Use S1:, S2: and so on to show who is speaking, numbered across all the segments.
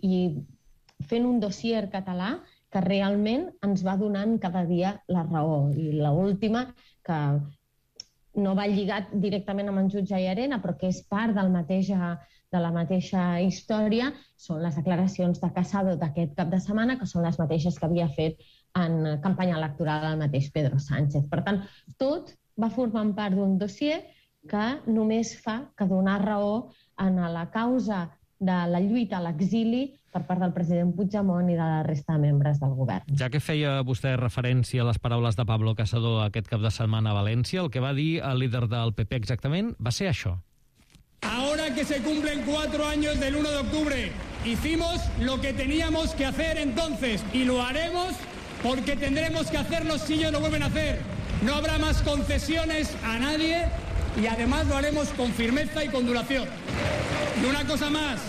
S1: i fent un dossier català que realment ens va donant cada dia la raó. I l'última, que no va lligat directament amb en jutge Llarena, però que és part de la mateixa història, són les declaracions de Casado d'aquest cap de setmana, que són les mateixes que havia fet en campanya electoral el mateix Pedro Sánchez. Per tant, tot va formant part d'un dossier que només fa que donar raó en la causa de la lluita a l'exili per part del president Puigdemont i de la resta de membres del govern.
S2: Ja que feia vostè referència a les paraules de Pablo Casado aquest cap de setmana a València, el que va dir el líder del PP exactament va ser això.
S3: Ahora que se cumplen 4 años del 1 de octubre, hicimos lo que teníamos que hacer entonces y lo haremos porque tendremos que hacerlo si ellos lo vuelven a hacer. No habrá más concesiones a nadie y además lo haremos con firmeza y con duración. Y una cosa más,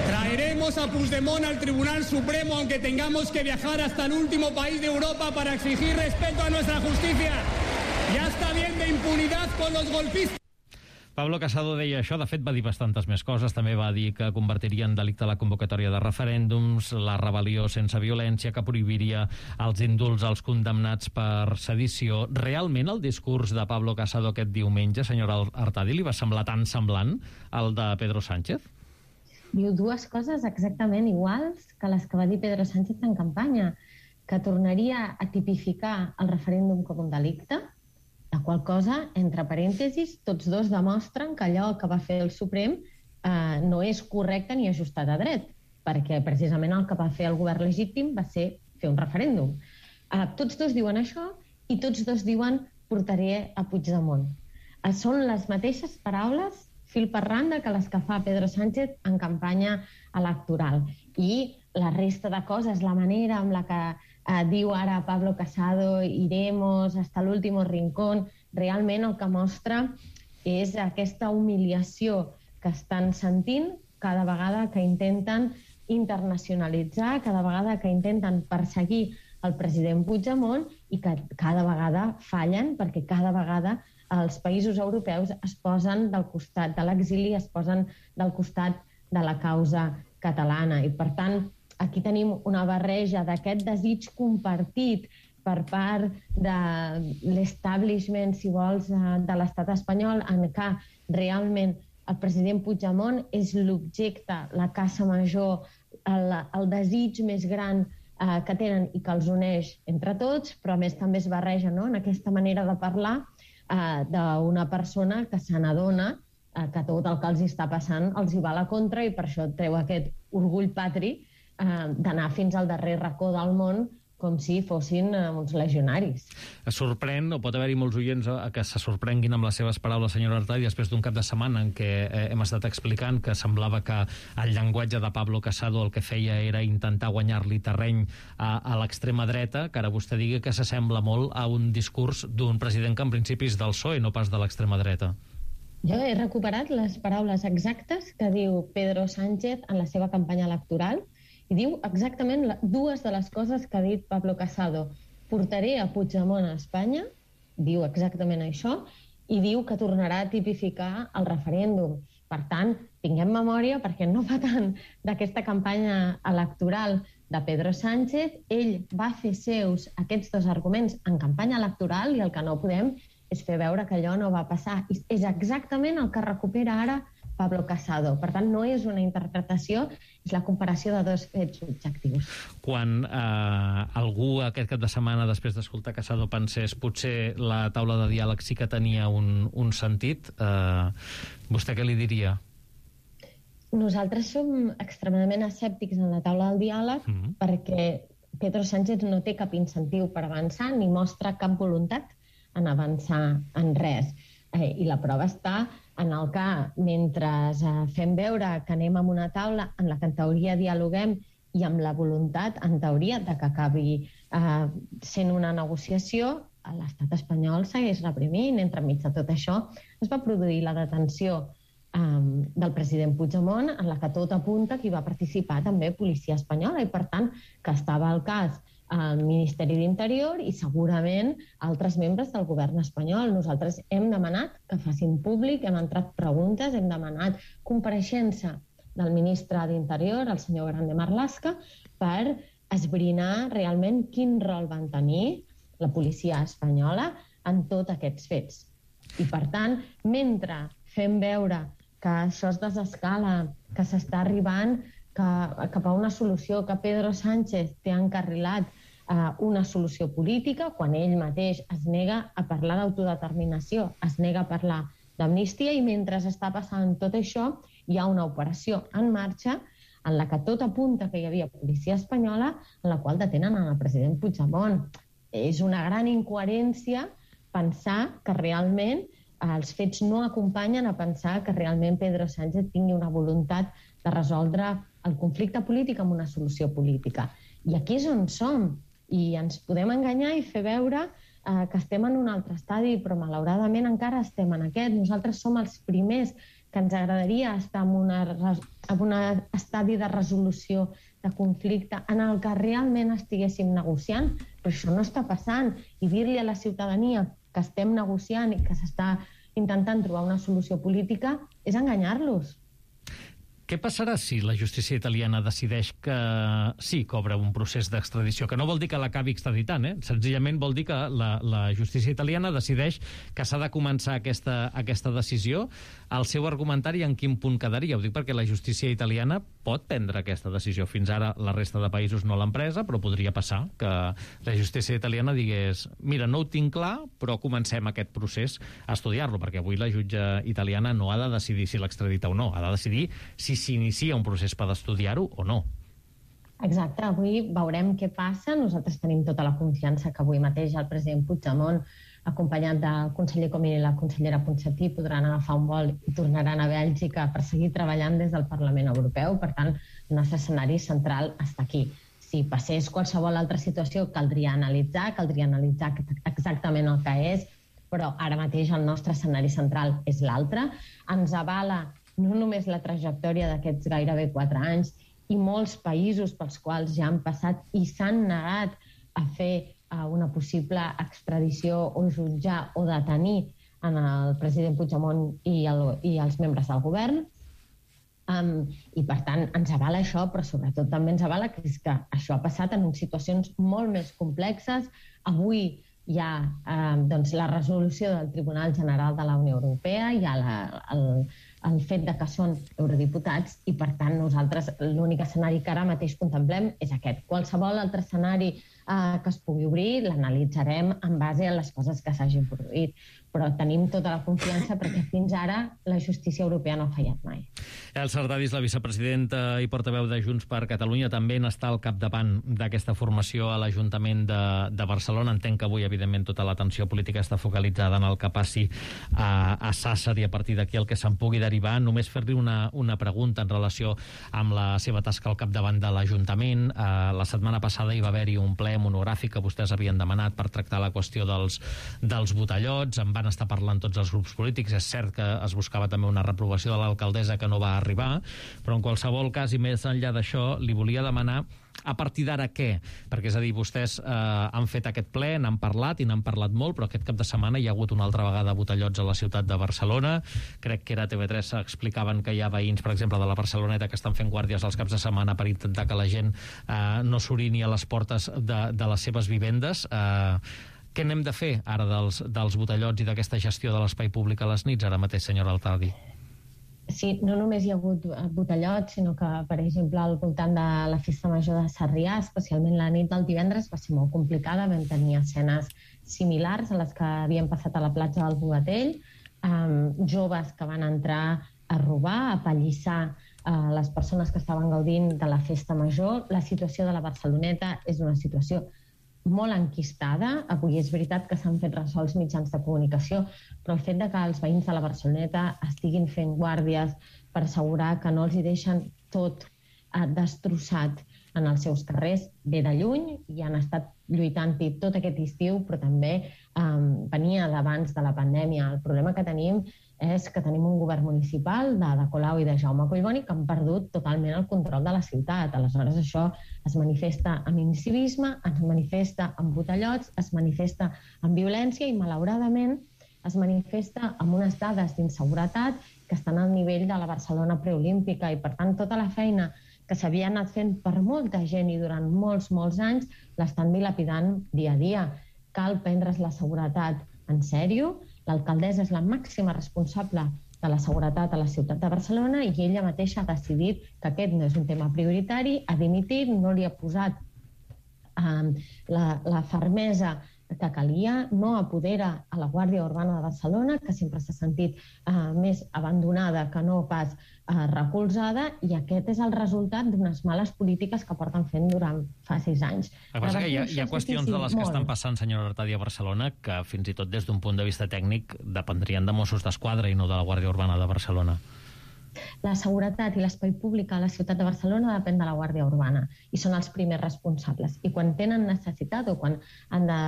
S3: traeremos a Puigdemont al Tribunal Supremo aunque tengamos que viajar hasta el último país de Europa para exigir respeto a nuestra justicia. Ya está bien de impunidad con los golpistas.
S2: Pablo Casado deia això, de fet va dir bastantes més coses, també va dir que convertiria en delicte la convocatòria de referèndums, la rebel·lió sense violència, que prohibiria els indults als condemnats per sedició. Realment el discurs de Pablo Casado aquest diumenge, senyora Artadi, li va semblar tan semblant al de Pedro Sánchez?
S1: Diu dues coses exactament iguals que les que va dir Pedro Sánchez en campanya, que tornaria a tipificar el referèndum com un delicte, la qual cosa, entre parèntesis, tots dos demostren que allò que va fer el Suprem no és correcte ni ajustat a dret, perquè precisament el que va fer el govern legítim va ser fer un referèndum. Tots dos diuen això i tots dos diuen portaré a Puigdemont. Són les mateixes paraules fil per randa que les que fa Pedro Sánchez en campanya electoral. I la resta de coses, la manera amb la que diu ara Pablo Casado, iremos hasta el último rincón, realment el que mostra és aquesta humiliació que estan sentint cada vegada que intenten internacionalitzar, cada vegada que intenten perseguir el president Puigdemont i que cada vegada fallen perquè cada vegada els països europeus es posen del costat de l'exili, es posen del costat de la causa catalana. I per tant, aquí tenim una barreja d'aquest desig compartit per part de l'establishment, si vols, de l'estat espanyol, en què realment el president Puigdemont és l'objecte, la caça major, el desig més gran que tenen i que els uneix entre tots, però a més també es barreja en aquesta manera de parlar d'una persona que se n'adona que tot el que els està passant els hi va a la contra i per això treu aquest orgull patri d'anar fins al darrer racó del món com si fossin uns legionaris.
S2: Es sorprèn, o pot haver-hi molts oients que se sorprenguin amb les seves paraules, senyora Artadi, després d'un cap de setmana en què hem estat explicant que semblava que el llenguatge de Pablo Casado el que feia era intentar guanyar-li terreny a l'extrema dreta, que ara vostè digui que s'assembla molt a un discurs d'un president que en principi és del PSOE, no pas de l'extrema dreta.
S1: Jo he recuperat les paraules exactes que diu Pedro Sánchez en la seva campanya electoral i diu exactament dues de les coses que ha dit Pablo Casado. Portaré a Puigdemont a Espanya, diu exactament això, i diu que tornarà a tipificar el referèndum. Per tant, tinguem memòria perquè no fa tant d'aquesta campanya electoral de Pedro Sánchez. Ell va fer seus aquests dos arguments en campanya electoral i el que no podem és fer veure que allò no va passar. I és exactament el que recupera ara Pablo Casado. Per tant, no és una interpretació, és la comparació de dos fets objectius.
S2: Quan algú aquest cap de setmana, després d'escoltar Casado, pensés potser la taula de diàleg sí que tenia un sentit, vostè què li diria?
S1: Nosaltres som extremadament escèptics en la taula del diàleg perquè Pedro Sánchez no té cap incentiu per avançar ni mostra cap voluntat en avançar en res. I la prova està en el que, mentre fem veure que anem a una taula en la que en teoria dialoguem i amb la voluntat, en teoria, de que acabi sent una negociació, l'estat espanyol segueix reprimint. Entremig de tot això es va produir la detenció del president Puigdemont, en la que tot apunta que hi va participar també policia espanyola i, per tant, que estava al cas al Ministeri d'Interior i segurament altres membres del govern espanyol. Nosaltres hem demanat que facin públic, hem entrat preguntes, hem demanat compareixença del ministre d'Interior, el senyor Grande Marlaska, per esbrinar realment quin rol van tenir la policia espanyola en tots aquests fets. I, per tant, mentre fem veure que això es desescala, que s'està arribant cap a una solució, que Pedro Sánchez té encarrilat una solució política, quan ell mateix es nega a parlar d'autodeterminació, es nega a parlar d'amnistia, i mentre està passant tot això, hi ha una operació en marxa en la que tot apunta que hi havia policia espanyola, en la qual detenen el president Puigdemont. És una gran incoherència pensar que realment els fets no acompanyen a pensar que realment Pedro Sánchez tingui una voluntat de resoldre el conflicte polític amb una solució política. I aquí és on som. I ens podem enganyar i fer veure que estem en un altre estadi, però malauradament encara estem en aquest. Nosaltres som els primers que ens agradaria estar en un estadi de resolució de conflicte en el que realment estiguéssim negociant, però això no està passant. I dir-li a la ciutadania que estem negociant i que s'està intentant trobar una solució política és enganyar-los.
S2: Què passarà si la justícia italiana decideix que sí que obre un procés d'extradició? Que no vol dir que l'acabi extraditant, Senzillament vol dir que la justícia italiana decideix que s'ha de començar aquesta decisió. El seu argumentari en quin punt quedaria? Ho dic perquè la justícia italiana pot prendre aquesta decisió. Fins ara la resta de països no l'han presa, però podria passar que la justícia italiana digués mira, no ho tinc clar, però comencem aquest procés a estudiar-lo, perquè avui la jutge italiana no ha de decidir si l'extradita o no, ha de decidir si s'inicia un procés per estudiar-ho o no.
S1: Exacte, avui veurem què passa. Nosaltres tenim tota la confiança que avui mateix el president Puigdemont, acompanyat del conseller Comín i la consellera Ponsatí, podran agafar un vol i tornaran a Bèlgica per seguir treballant des del Parlament Europeu. Per tant, el nostre escenari central està aquí. Si passés qualsevol altra situació, caldria analitzar exactament el que és, però ara mateix el nostre escenari central és l'altre. Ens avala no només la trajectòria d'aquests gairebé 4 anys i molts països pels quals ja han passat i s'han negat a fer una possible extradició o jutjar o detenir en el president Puigdemont i els membres del govern. I, per tant, ens avala això, però sobretot també ens avala que això ha passat en situacions molt més complexes. Avui hi ha la resolució del Tribunal General de la Unió Europea, hi ha el fet de que són eurodiputats i, per tant, nosaltres l'únic escenari que ara mateix contemplem és aquest. Qualsevol altre escenari que es pugui obrir l'analitzarem en base a les coses que s'hagin produït, però tenim tota la confiança perquè fins ara la justícia europea no ha fallat mai.
S2: Elsa Artadi és la vicepresidenta i portaveu de Junts per Catalunya, també n'està al capdavant d'aquesta formació a l'Ajuntament de Barcelona. Entenc que avui, evidentment, tota l'atenció política està focalitzada en el que passi a Sàsser i a partir d'aquí el que se'n pugui derivar. Només fer-li una pregunta en relació amb la seva tasca al capdavant de l'Ajuntament. La setmana passada hi va haver-hi un ple monogràfic que vostès havien demanat per tractar la qüestió dels botellots. En van estar parlant tots els grups polítics. És cert que es buscava també una reprovació de l'alcaldessa que no va arribar, però en qualsevol cas, i més enllà d'això, li volia demanar a partir d'ara què? Perquè, és a dir, vostès han fet aquest ple, n'han parlat i n'han parlat molt, però aquest cap de setmana hi ha hagut una altra vegada botellots a la ciutat de Barcelona. Crec que era TV3 explicaven que hi ha veïns, per exemple, de la Barceloneta que estan fent guàrdies els caps de setmana per intentar que la gent no s'orini a les portes de les seves vivendes. Què n'hem de fer ara dels botellots i d'aquesta gestió de l'espai públic a les nits ara mateix, senyora Artadi?
S1: Sí, no només hi ha hagut botellots, sinó que, per exemple, al voltant de la festa major de Sarrià, especialment la nit del divendres, va ser molt complicada. Vam tenir escenes similars a les que havien passat a la platja del Bogatell, joves que van entrar a robar, a pallissar les persones que estaven gaudint de la festa major. La situació de la Barceloneta és una situació molt enquistada. Avui és veritat que s'han fet ressò als mitjans de comunicació, però el fet de que els veïns de la Barceloneta estiguin fent guàrdies per assegurar que no els hi deixen tot destrossat en els seus carrers ve de lluny i han estat lluitant-hi tot aquest estiu, però també venia d'abans de la pandèmia. El problema que tenim és que tenim un govern municipal de Colau i de Jaume Collboni que han perdut totalment el control de la ciutat. Aleshores, això es manifesta amb incivisme, es manifesta amb botellots, es manifesta amb violència i, malauradament, es manifesta amb unes dades d'inseguretat que estan al nivell de la Barcelona preolímpica i, per tant, tota la feina que s'havia anat fent per molta gent i durant molts anys l'estan dilapidant dia a dia. Cal prendre's la seguretat en sèrio. L'alcaldessa és la màxima responsable de la seguretat a la ciutat de Barcelona i ella mateixa ha decidit que aquest no és un tema prioritari, ha dimitit, no li ha posat la fermesa que calia, no apodera a la Guàrdia Urbana de Barcelona, que sempre s'ha sentit més abandonada que no pas recolzada, i aquest és el resultat d'unes males polítiques que porten fent durant fa 6 anys.
S2: El que passa que hi ha qüestions de les que estan passant, senyora Artadi, a Barcelona, que fins i tot des d'un punt de vista tècnic dependrien de Mossos d'Esquadra i no de la Guàrdia Urbana de Barcelona.
S1: La seguretat i l'espai públic a la ciutat de Barcelona depèn de la Guàrdia Urbana i són els primers responsables. I quan tenen necessitat o quan han de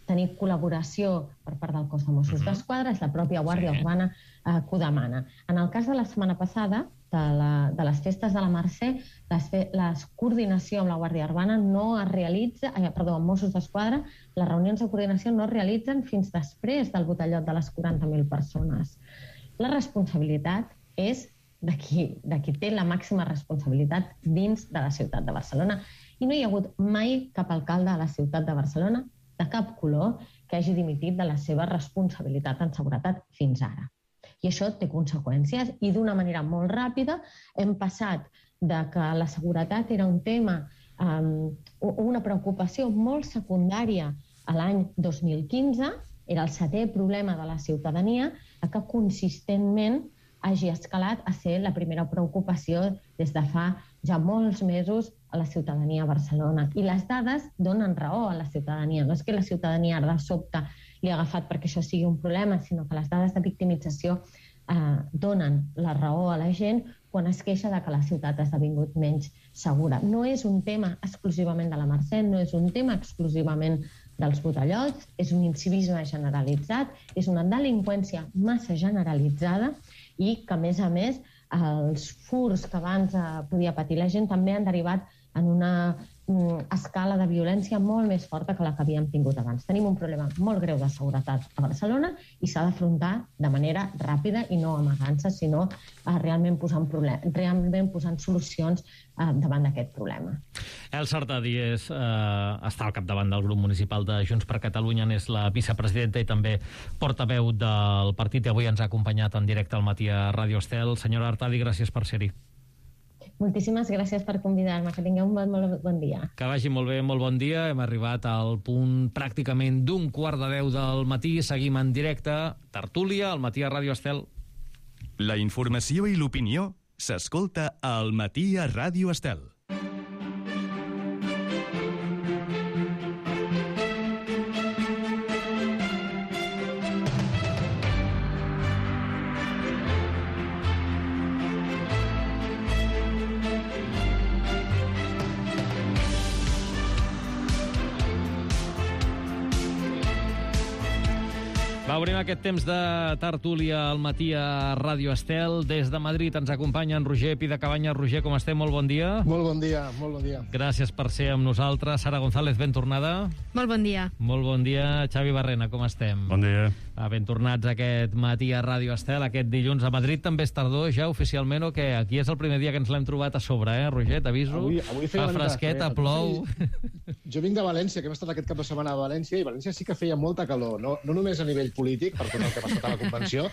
S1: tenir col·laboració per part del cos de Mossos d'Esquadra, és la pròpia Guàrdia Urbana que ho demana. En el cas de la setmana passada, de les festes de la Mercè, la coordinació amb la Guàrdia Urbana no es realitza, amb Mossos d'Esquadra, les reunions de coordinació no es realitzen fins després del botellot de les 40.000 persones. La responsabilitat és de qui té la màxima responsabilitat dins de la ciutat de Barcelona. I no hi ha hagut mai cap alcalde a la ciutat de Barcelona, de cap color, que hagi dimitit de la seva responsabilitat en seguretat fins ara. I això té conseqüències, i d'una manera molt ràpida hem passat de que la seguretat era un tema, una preocupació molt secundària a l'any 2015, era el 7è problema de la ciutadania, a que consistentment hagi escalat a ser la primera preocupació des de fa ja molts mesos a la ciutadania a Barcelona. I les dades donen raó a la ciutadania. No és que la ciutadania de sobte li ha agafat perquè això sigui un problema, sinó que les dades de victimització donen la raó a la gent quan es queixa de que la ciutat ha esdevingut menys segura. No és un tema exclusivament de la Mercè, no és un tema exclusivament dels botellots, és un incivisme generalitzat, és una delinqüència massa generalitzada i que, a més, els furs que abans podia patir la gent també han derivat en una escala de violència molt més forta que la que havíem tingut abans. Tenim un problema molt greu de seguretat a Barcelona i s'ha d'afrontar de manera ràpida i no amagant-se, sinó realment posant solucions davant d'aquest problema.
S2: Elsa Artadi està al capdavant del grup municipal de Junts per Catalunya, és la vicepresidenta i també portaveu del partit, i avui ens ha acompanyat en directe al matí a Ràdio Estel. Senyora Artadi, gràcies per ser-hi.
S1: Moltíssimes gràcies per convidar-me. Que tingueu un molt bon dia.
S2: Que vagi molt bé, molt bon dia. Hem arribat al punt pràcticament d'un 9:15 del matí. Seguim en directe. Tertúlia, al matí a Ràdio Estel.
S4: La informació i l'opinió s'escolta al matí a Ràdio Estel.
S2: Obrim aquest temps de tertúlia al matí a Ràdio Estel. Des de Madrid ens acompanya en Roger Pidacabanyes. Roger, com estem? Molt bon dia.
S5: Molt bon dia, molt bon dia.
S2: Gràcies per ser amb nosaltres. Sara González, ben tornada.
S6: Molt bon dia.
S2: Molt bon dia. Xavi Barrena, com estem?
S7: Bon dia.
S2: Ben tornats aquest matí a Ràdio Estel, aquest dilluns. A Madrid també és tardor ja oficialment, o què? Aquí és el primer dia que ens l'hem trobat a sobre, Roger? T'aviso.
S5: Avui
S2: fa fresqueta, plou.
S5: Jo vinc de València, que hem estat aquest cap de setmana a València, i València sí que feia molta calor, no només a nivell polític, per tot el que ha passat a la convenció,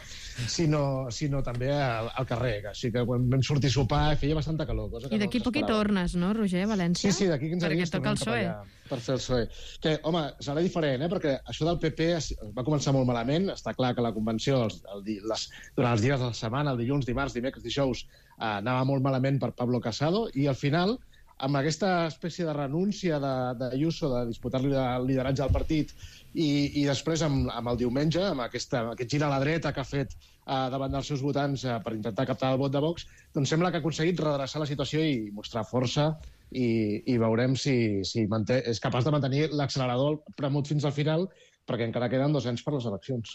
S5: sinó també al carrer. Així que quan vam sortir a sopar feia bastanta calor.
S6: I d'aquí poc hi tornes, no, Roger, a València?
S5: Sí, d'aquí 15 dies
S6: tornem cap allà
S5: per fer el PSOE. Que, home, serà diferent, perquè això del PP va començar molt malament. Està clar que la convenció, durant els dies de la setmana, el dilluns, dimarts, dimecres, dijous, anava molt malament per Pablo Casado, i al final, amb aquesta espècie de renúncia d'Ayuso de disputar-li el lideratge al partit, i després amb el diumenge, amb aquest gir a la dreta que ha fet davant dels seus votants per intentar captar el vot de Vox, doncs sembla que ha aconseguit redreçar la situació i mostrar força, i veurem si és capaç de mantenir l'accelerador premut fins al final, perquè encara queden 2 anys per les eleccions.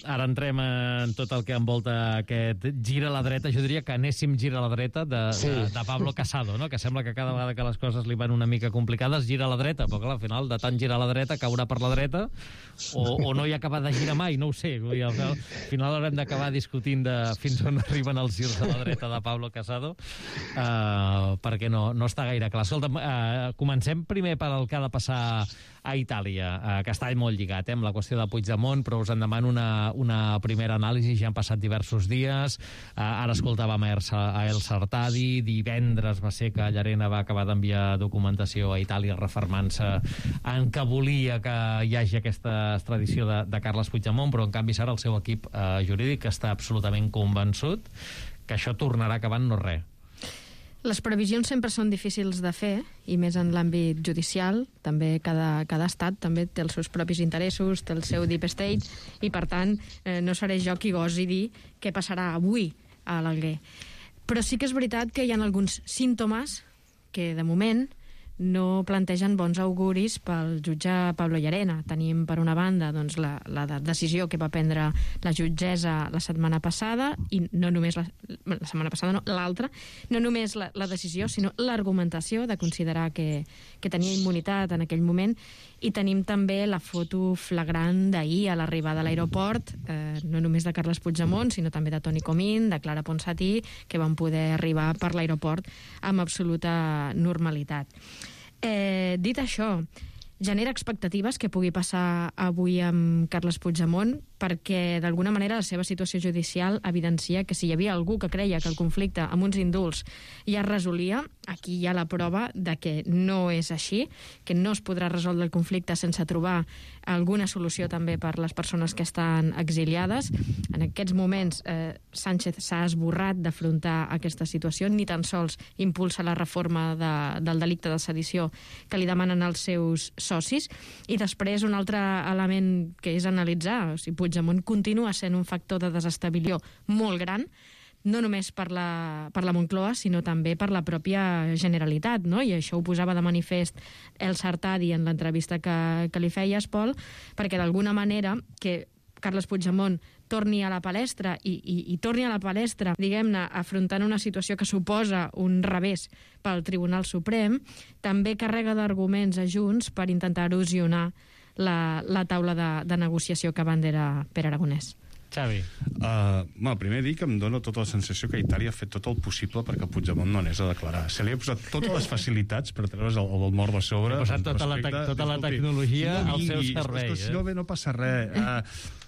S2: Ara entrem en tot el que envolta aquest gira a la dreta. Jo diria que anéssim gira a la dreta de Pablo Casado, no? Que sembla que cada vegada que les coses li van una mica complicades gira a la dreta, però clar, al final de tant girar a la dreta caurà per la dreta o no hi ha acabat de girar mai, no ho sé. Vull dir, al final haurem d'acabar discutint fins on arriben els girs a la dreta de Pablo Casado, perquè no està gaire clar. Escolta, comencem primer per el que ha de passar a Itàlia, que està molt lligat amb la qüestió de Puigdemont, però us en demano una primera anàlisi. Ja han passat diversos dies. Ara escoltàvem a El Sartadi. Divendres va ser que Llarena va acabar d'enviar documentació a Itàlia refermant-se en que volia que hi hagi aquesta extradició de Carles Puigdemont, però en canvi serà el seu equip jurídic que està absolutament convençut que això tornarà acabant no res.
S6: Les previsions sempre són difícils de fer, i més en l'àmbit judicial. També cada estat també té els seus propis interessos, té el seu deep state, i per tant no seré jo qui gosi dir què passarà avui a l'Alguer. Però sí que és veritat que hi ha alguns símptomes que de moment no plantegen bons auguris pel jutge Pablo Llarena. Tenim, per una banda, doncs, la decisió que va prendre la jutgessa la setmana passada, i no només la setmana passada, no, l'altra, no només la decisió, sinó l'argumentació de considerar que tenia immunitat en aquell moment, i tenim també la foto flagrant d'ahir a l'arribada a l'aeroport, no només de Carles Puigdemont, sinó també de Toni Comín, de Clara Ponsatí, que van poder arribar per l'aeroport amb absoluta normalitat. Dit això, genera expectatives que pugui passar avui amb Carles Puigdemont, perquè d'alguna manera la seva situació judicial evidencia que si hi havia algú que creia que el conflicte amb uns indults ja es resolia, aquí hi ha la prova de que no és així, que no es podrà resoldre el conflicte sense trobar alguna solució també per les persones que estan exiliades. En aquests moments Sánchez s'ha esborrat d'afrontar aquesta situació, ni tan sols impulsa la reforma del delicte de sedició que li demanen els seus socis. I després un altre element que és analitzar, o sigui, Puigdemont continua sent un factor de desestabilització molt gran, no només per la Moncloa, sinó també per la pròpia Generalitat, no? I això ho posava de manifest El Sartadi en l'entrevista que li feies, Pol, perquè d'alguna manera que Carles Puigdemont torni a la palestra i torni a la palestra, diguem-ne, afrontant una situació que suposa un revés pel Tribunal Suprem, també carrega d'arguments a Junts per intentar erosionar la taula de negociació que abandera Pere Aragonès.
S2: Xavi.
S7: Primer dir que em dóna tota la sensació que Itàlia ha fet tot el possible perquè Puigdemont no anés a declarar. Se li ha posat totes les facilitats per treure's el mort de sobre.
S2: Ha posat tota la tecnologia al seu servei.
S7: Si no ve, no passa res.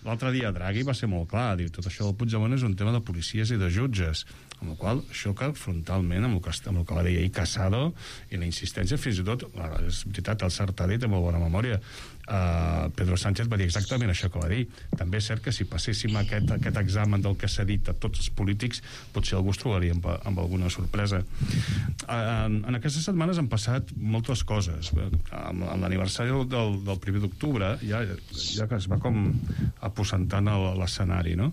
S7: L'altre dia Draghi va ser molt clar, diu, tot això del Puigdemont és un tema de policies i de jutges, amb la qual xoca frontalment amb el que va dir ahir Casado i la insistència, fins i tot, és veritat, el Sartadi té molt bona memòria, Pedro Sánchez va dir exactament això que va dir. També és cert que si passéssim aquest examen del que s'ha dit a tots els polítics, potser algú es trobaria amb alguna sorpresa. En aquestes setmanes han passat moltes coses. Amb l'aniversari del 1 d'octubre ja que es va com aposentant l'escenari, no?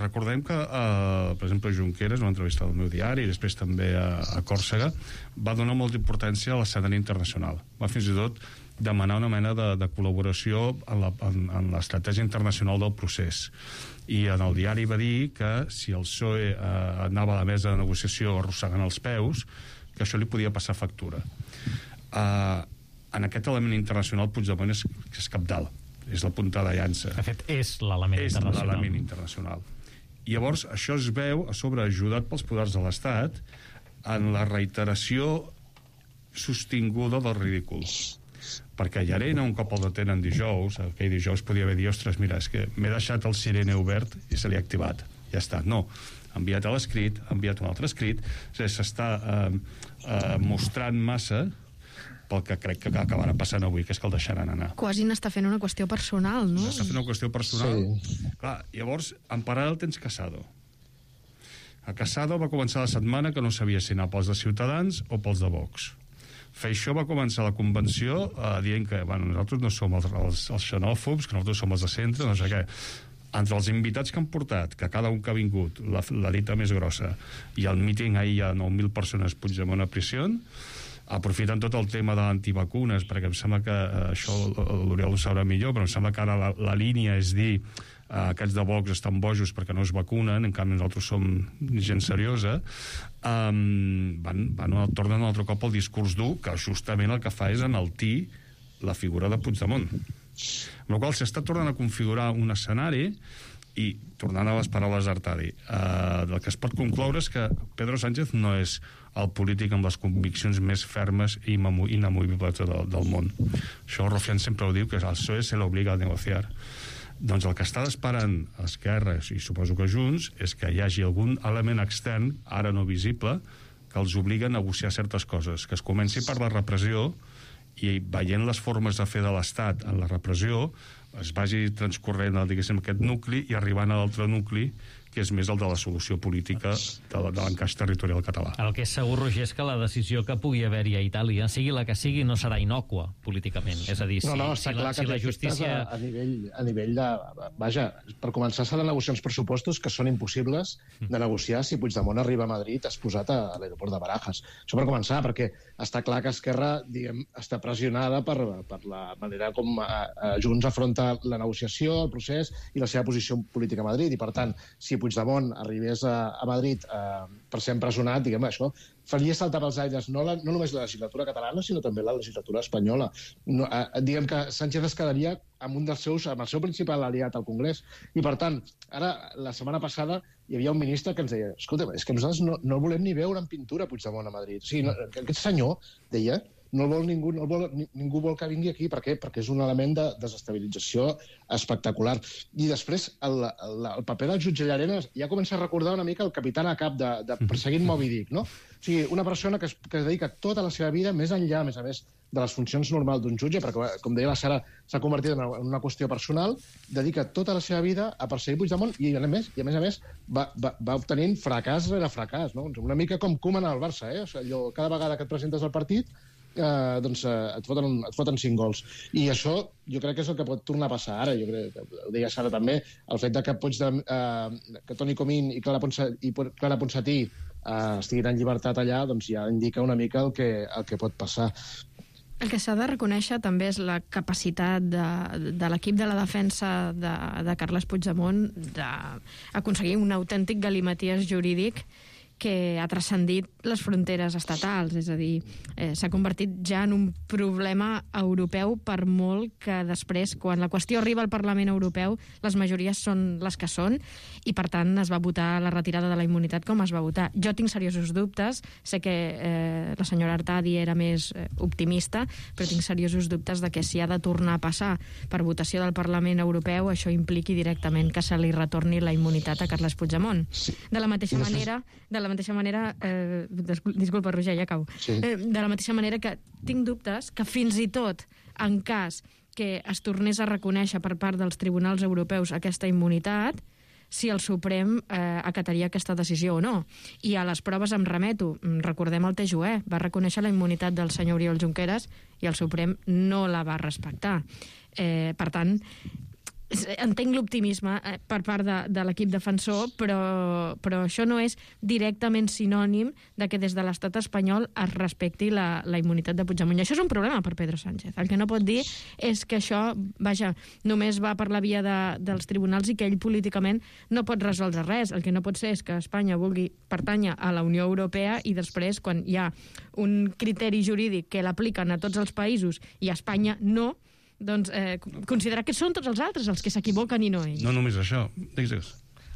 S7: Recordem que per exemple Junqueras, una entrevista del meu diari i després també a Còrsega, va donar molta importància a l'escenari internacional. Va fins i tot demanar una mena de col·laboració en l'estratègia internacional del procés. I en el diari va dir que si el PSOE anava a la mesa de negociació arrossegant els peus, que això li podia passar factura. En aquest element internacional Puigdemont és cabdal, és la punta de llança.
S2: De fet, és l'element
S7: internacional. I llavors això es veu a sobre ajudat pels poders de l'Estat en la reiteració sostinguda del ridícul. Perquè Llarena, un cop el detenen dijous, aquell dijous podia haver dit, ostres, mira, és que m'he deixat el sirene obert i se li ha activat. Ja està. No. Ha enviat l'escrit, ha enviat un altre escrit, s'està mostrant massa pel que crec que acabarà passant avui, que és que el deixaran anar.
S6: Quasi n'està fent una qüestió personal, no?
S7: N'està fent una qüestió personal. Sí. Clar, llavors, en paral·lel tens Casado. A Casado va començar la setmana que no sabia si anar pels de Ciutadans o pels de Vox. Feixó va començar la convenció dient que nosaltres no som els xenòfobs, que nosaltres som els de centre, no sé què. Entre els invitats que han portat, que cada un que ha vingut, la dita més grossa, i al míting ahir hi ha 9.000 persones Puigdemont a prisió, aprofitant tot el tema de l'antivacunes, perquè em sembla que això l'Oriol ho sabrà millor, però em sembla que ara la línia és dir aquests de Vox estan bojos perquè no es vacunen, en canvi nosaltres som gent seriosa, tornen un altre cop al discurs dur, que justament el que fa és enaltir la figura de Puigdemont. Amb la qual s'està tornant a configurar un escenari, i tornant a les paraules d'Artadi, el que es pot concloure és que Pedro Sánchez no és el polític amb les conviccions més fermes i inamovibles del món. Això Rufián sempre ho diu, que al PSOE se l'obliga a negociar. Doncs el que està esperant Esquerra, i suposo que Junts, és que hi hagi algun element extern, ara no visible, que els obliga a negociar certes coses, que es comenci per la repressió, i veient les formes de fer de l'Estat en la repressió, es vagi transcorrent, diguéssim, aquest nucli i arribant a l'altre nucli, que és més el de la solució política de l'encaix territorial català.
S2: El que és segur, Roger, és que la decisió que pugui haver-hi a Itàlia, sigui la que sigui, no serà innòcua políticament. És a dir, si la justícia...
S5: A nivell de... Vaja, per començar s'han de negociar uns pressupostos que són impossibles de negociar si Puigdemont arriba a Madrid exposat a l'aeroport de Barajas. Això per començar, perquè està clar que Esquerra, diguem, està pressionada per la manera com Junts afronta la negociació, el procés i la seva posició política a Madrid. I, per tant, si Puigdemont arribés a Madrid per ser empresonat, diguem, això faria saltar pels aires no només la legislatura catalana, sinó també la legislatura espanyola. Diguem que Sánchez es quedaria amb amb el seu principal aliat al Congrés. I, per tant, ara, la setmana passada, hi havia un ministre que ens deia, escolta, és que nosaltres no el volem ni veure en pintura Puigdemont a Madrid. O sigui, aquest senyor, deia, no vol ningú vol que vingui aquí. Per què? Perquè és un element de desestabilització espectacular. I després, el paper del jutge Llarenas ja comença a recordar una mica el capità a cap de Perseguint Moby Dick, no? O sigui, una persona que dedica tota la seva vida més enllà, a més de les funcions normals d'un jutge, perquè, com deia la Sara, s'ha convertit en una qüestió personal, dedica tota la seva vida a perseguir Puigdemont i, a més, va obtenint fracàs rere fracàs, no? Una mica com Koeman al Barça, eh? O sigui, cada vegada que et presentes al partit et foten 5 gols. I això jo crec que és el que pot tornar a passar ara. Jo crec que ho deia Sara també, el fet que Toni Comín i Clara Ponsatí estiguin en llibertat allà, doncs ja indica una mica el que pot passar.
S6: El que s'ha de reconèixer també és la capacitat de l'equip de la defensa de Carles Puigdemont d'aconseguir un autèntic galimaties jurídic que ha transcendit les fronteres estatals, és a dir, s'ha convertit ja en un problema europeu, per molt que després, quan la qüestió arriba al Parlament Europeu, les majories són les que són, i per tant es va votar la retirada de la immunitat com es va votar. Jo tinc seriosos dubtes, sé que la senyora Artadi era més optimista, però tinc seriosos dubtes de que si ha de tornar a passar per votació del Parlament Europeu, això impliqui directament que se li retorni la immunitat a Carles Puigdemont. De la mateixa manera, disculpa, Roger, ja acabo. Sí. De la mateixa manera que tinc dubtes que fins i tot en cas que es tornés a reconèixer per part dels tribunals europeus aquesta immunitat, si el Suprem acataria aquesta decisió o no. I a les proves em remeto. Recordem el TJUE, va reconèixer la immunitat del senyor Oriol Junqueras i el Suprem no la va respectar. Per tant, entenc l'optimisme per part de l'equip defensor, però això no és directament sinònim de que des de l'estat espanyol es respecti la immunitat de Puigdemont. I això és un problema per Pedro Sánchez. El que no pot dir és que això, només va per la via dels tribunals i que ell políticament no pot resoldre res. El que no pot ser és que Espanya vulgui pertànyer a la Unió Europea i després, quan hi ha un criteri jurídic que l'apliquen a tots els països i a Espanya no, doncs considerar que són tots els altres els que s'equivoquen i no ells.
S7: No només això. Digues.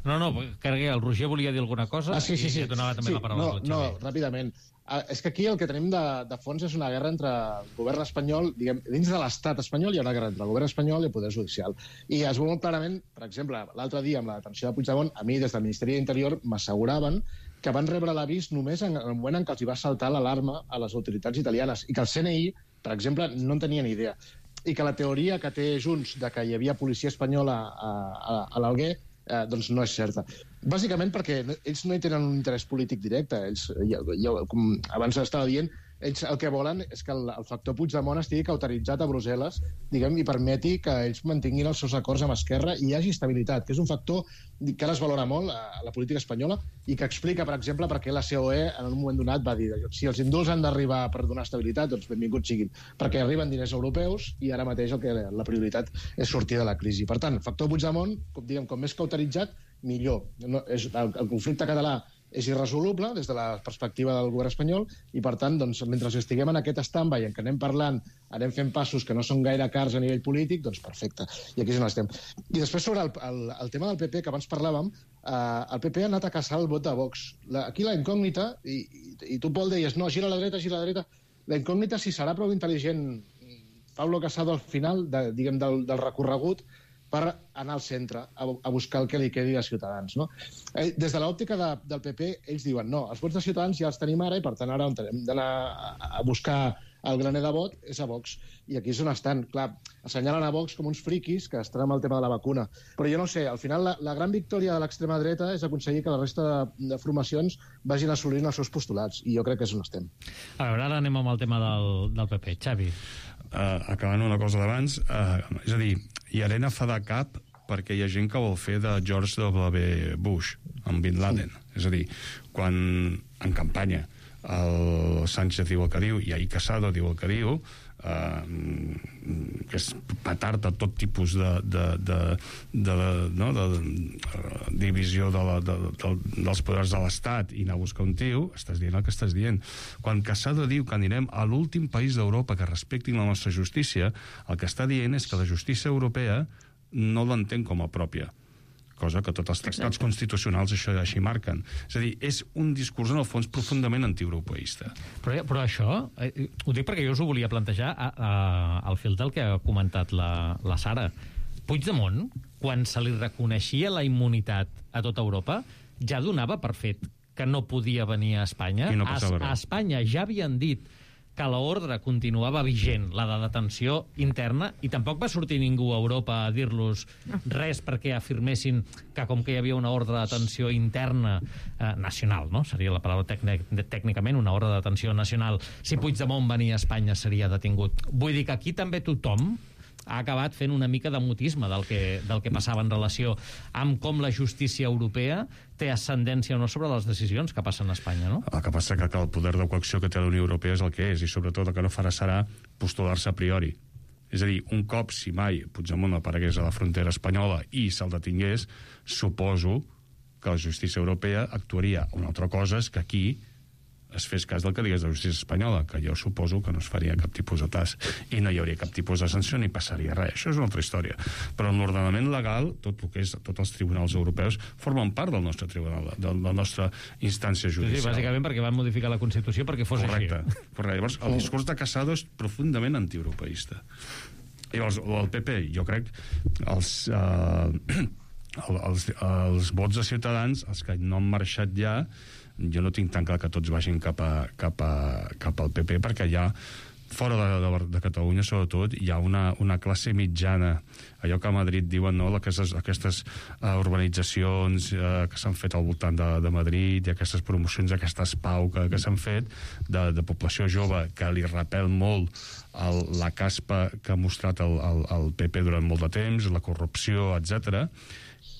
S2: No, Carguer, el Roger volia dir alguna cosa.
S5: Sí.
S2: I donava també la paraula.
S5: No, ràpidament. És que aquí el que tenim de fons és una guerra entre el govern espanyol, diguem, dins de l'estat espanyol hi ha una guerra entre el govern espanyol i el poder judicial. I es veu molt clarament, per exemple, l'altre dia amb la detenció de Puigdemont, a mi des del Ministeri d'Interior m'asseguraven que van rebre l'avís només en el moment en què els hi va saltar l'alarma a les autoritats italianes i que el CNI, per exemple, no en tenia ni idea. I que la teoria que té Junts de que hi havia policia espanyola a l'Alguer doncs no és certa. Bàsicament perquè ells no hi tenen un interès polític directe. Ells, com abans estava dient, ells el que volen és que el factor Puigdemont estigui cauteritzat a Brussel·les, diguem, i permeti que ells mantinguin els seus acords amb Esquerra i hi hagi estabilitat, que és un factor que ara es valora molt a la política espanyola i que explica, per exemple, per què la COE en un moment donat va dir si els indults han d'arribar per donar estabilitat, doncs benvinguts siguin, perquè arriben diners europeus i ara mateix la prioritat és sortir de la crisi. Per tant, factor Puigdemont, com més cauteritzat, millor. El conflicte català és irresoluble des de la perspectiva del govern espanyol i, per tant, doncs, mentre estiguem en aquest stand-by en què anem parlant, anem fent passos que no són gaire cars a nivell polític, doncs perfecte. I aquí és on estem. I després sobre el tema del PP, que abans parlàvem, el PP ha anat a caçar el vot de Vox. Aquí la incògnita, i tu, Pol, deies, no, gira a la dreta, la incògnita si serà prou intel·ligent Pablo Casado al final, diguem, del recorregut, per anar al centre, a buscar el que li quedi de Ciutadans. No? Des de l'òptica del PP, ells diuen no, els vots de Ciutadans ja els tenim ara i per tant ara on hem d'anar a buscar el graner de vot és a Vox. I aquí és on estan. Clar, assenyalen a Vox com uns friquis que estan amb el tema de la vacuna. Però jo no sé, al final la gran victòria de l'extrema dreta és aconseguir que la resta de formacions vagin assolint els seus postulats. I jo crec que és on estem.
S2: A veure, ara anem amb el tema del PP. Xavi.
S7: Acabant una cosa d'abans, és a dir, i Arena fa de cap perquè hi ha gent que vol fer de George W. Bush amb Bin Laden. És a dir, quan en campanya el Sánchez diu el que diu i ahir Casado diu el que diu, que és petard de tot tipus de divisió dels poders de l'Estat i anar a buscar un tio, estàs dient el que estàs dient. Quan Casado diu que anirem a l'últim país d'Europa que respectin la nostra justícia, el que està dient és que la justícia europea no l'entén com a pròpia, cosa que tots els tractats constitucionals això així marquen. És a dir, és un discurs en el fons profundament antieuropeista.
S2: Però això, ho dic perquè jo us ho volia plantejar al fil del que ha comentat la Sara. Puigdemont, quan se li reconeixia la immunitat a tota Europa, ja donava per fet que no podia venir a Espanya.
S7: I no passava res.
S2: A Espanya ja havien dit que l'ordre continuava vigent, la de detenció interna, i tampoc va sortir ningú a Europa a dir-los res perquè afirmessin que com que hi havia una ordre de detenció interna nacional, no? Seria la paraula tècnicament, una ordre de detenció nacional. Si Puigdemont venia a Espanya seria detingut. Vull dir que aquí també tothom ha acabat fent una mica de mutisme del que passava en relació amb com la justícia europea té ascendència o no sobre les decisions que passen a Espanya, no?
S7: El que passa que el poder de coacció que té la Unió Europea és el que és, i sobretot el que no farà serà postular-se a priori. És a dir, un cop, si mai Puigdemont aparegués a la frontera espanyola i se'l detingués, suposo que la justícia europea actuaria. Una altra cosa és que aquí es fes cas del que digués de la justícia espanyola, que jo suposo que no es faria cap tipus de tas i no hi hauria cap tipus de sanció ni passaria res. Això és una altra història. Però en l'ordenament legal, tot el que és tots els tribunals europeus formen part del nostre tribunal, de la nostra instància judicial.
S2: Sí, bàsicament perquè van modificar la Constitució perquè fos
S7: correcte,
S2: així.
S7: Correcte. Llavors, el discurs de Casado és profundament antieuropeista. I el PP, jo crec, els vots de Ciutadans, els que no han marxat ja, jo no tinc tan clar que tots vagin cap al PP, perquè ja fora de Catalunya, sobretot, hi ha una classe mitjana, allò que a Madrid diuen, no?, aquestes urbanitzacions que s'han fet al voltant de Madrid i aquestes promocions, aquestes pau que s'han fet de població jove que li repel molt la caspa que ha mostrat el PP durant molt de temps, la corrupció, etc.,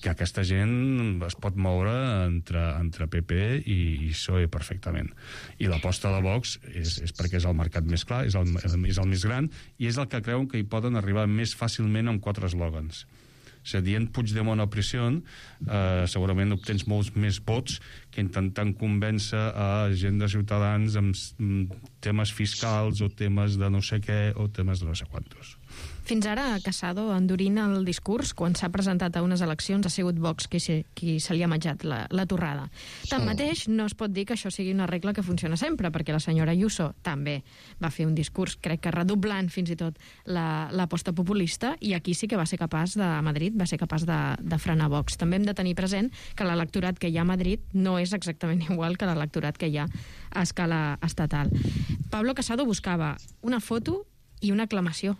S7: que aquesta gent es pot moure entre PP i PSOE perfectament. I l'aposta de Vox és perquè és el mercat més clar, és el més gran, i és el que creuen que hi poden arribar més fàcilment amb 4 eslògans. O sigui, dient Puigdemont a pressió, segurament obtens molts més vots que intentant convèncer a gent de Ciutadans amb temes fiscals o temes de no sé què o temes de no sé quantos.
S6: Fins ara, Casado endurint el discurs, quan s'ha presentat a unes eleccions, ha sigut Vox qui se li ha menjat la torrada. Tanmateix, no es pot dir que això sigui una regla que funciona sempre, perquè la senyora Ayuso també va fer un discurs, crec que redoblant fins i tot l'aposta populista, i aquí sí que va ser capaç a Madrid, va ser capaç de frenar Vox. També hem de tenir present que l'electorat que hi ha a Madrid no és exactament igual que l'electorat que hi ha a escala estatal. Pablo Casado buscava una foto i una aclamació.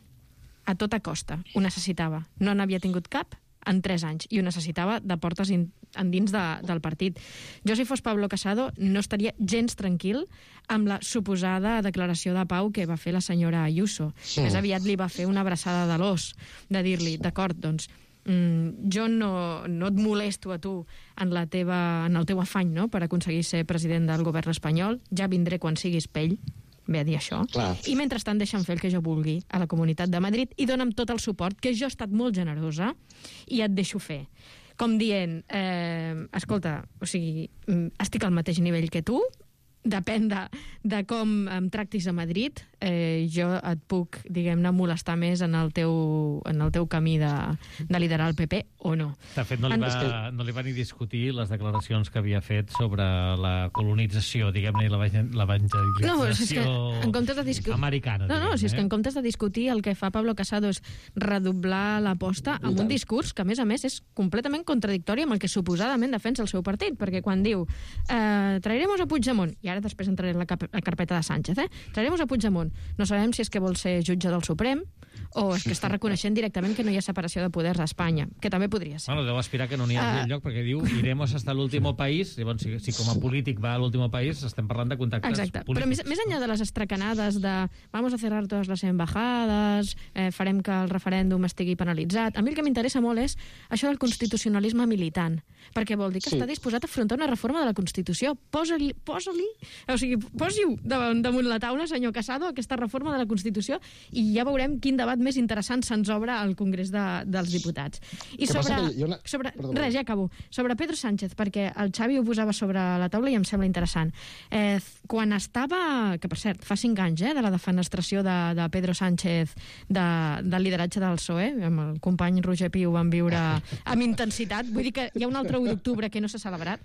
S6: A tota costa. Ho necessitava. No n'havia tingut cap en 3 anys, i ho necessitava de portes endins del partit. Jo, si fos Pablo Casado, no estaria gens tranquil amb la suposada declaració de pau que va fer la senyora Ayuso. Sí. Més aviat li va fer una abraçada de l'os, de dir-li, d'acord, doncs, jo no et molesto a tu en el teu afany, no?, per aconseguir ser president del govern espanyol, ja vindré quan siguis pell, ve a dir això. Clar. I mentrestant deixa'm fer el que jo vulgui a la Comunitat de Madrid i dona'm tot el suport, que jo he estat molt generosa i et deixo fer. Com dient, escolta, o sigui, estic al mateix nivell que tu, depèn de com em tractis a Madrid, jo et puc, diguem-ne, molestar més en el teu camí de liderar el PP o no.
S2: De fet, no li va ni discutir les declaracions que havia fet sobre la colonització, diguem-ne, i l'evangelització americana.
S6: Si és que en comptes de discutir, el que fa Pablo Casado és redoblar l'aposta amb un discurs que, a més, és completament contradictori amb el que suposadament defensa el seu partit, perquè quan diu trairemos a Puigdemont, i ara després entraré en la carpeta de Sánchez, trairemos a Puigdemont, no sabem si és que vol ser jutge del Suprem o és que està reconeixent directament que no hi ha separació de poders a Espanya, que també podria ser.
S2: Bueno, deu aspirar que no n'hi hagi enlloc, perquè diu iremos hasta l'último país, llavors si com a polític va a l'último país, estem parlant de contactes polítics.
S6: Però més enllà de les estracanades de vamos a cerrar todas las embajadas, farem que el referèndum estigui penalitzat, a mi el que m'interessa molt és això del constitucionalisme militant, perquè vol dir que està disposat a afrontar una reforma de la Constitució. Posi-ho damunt la taula, senyor Casado, aquesta reforma de la Constitució, i ja veurem quin debat més interessant se'ns obre al Congrés dels Diputats. I res, ja acabo. Sobre Pedro Sánchez, perquè el Xavi ho posava sobre la taula i em sembla interessant. Quan estava, que per cert, fa 5 anys, de la defenestració de Pedro Sánchez del lideratge del PSOE, amb el company Roger Pi ho van viure amb intensitat, vull dir que hi ha un altre 1 d'octubre que no s'ha celebrat.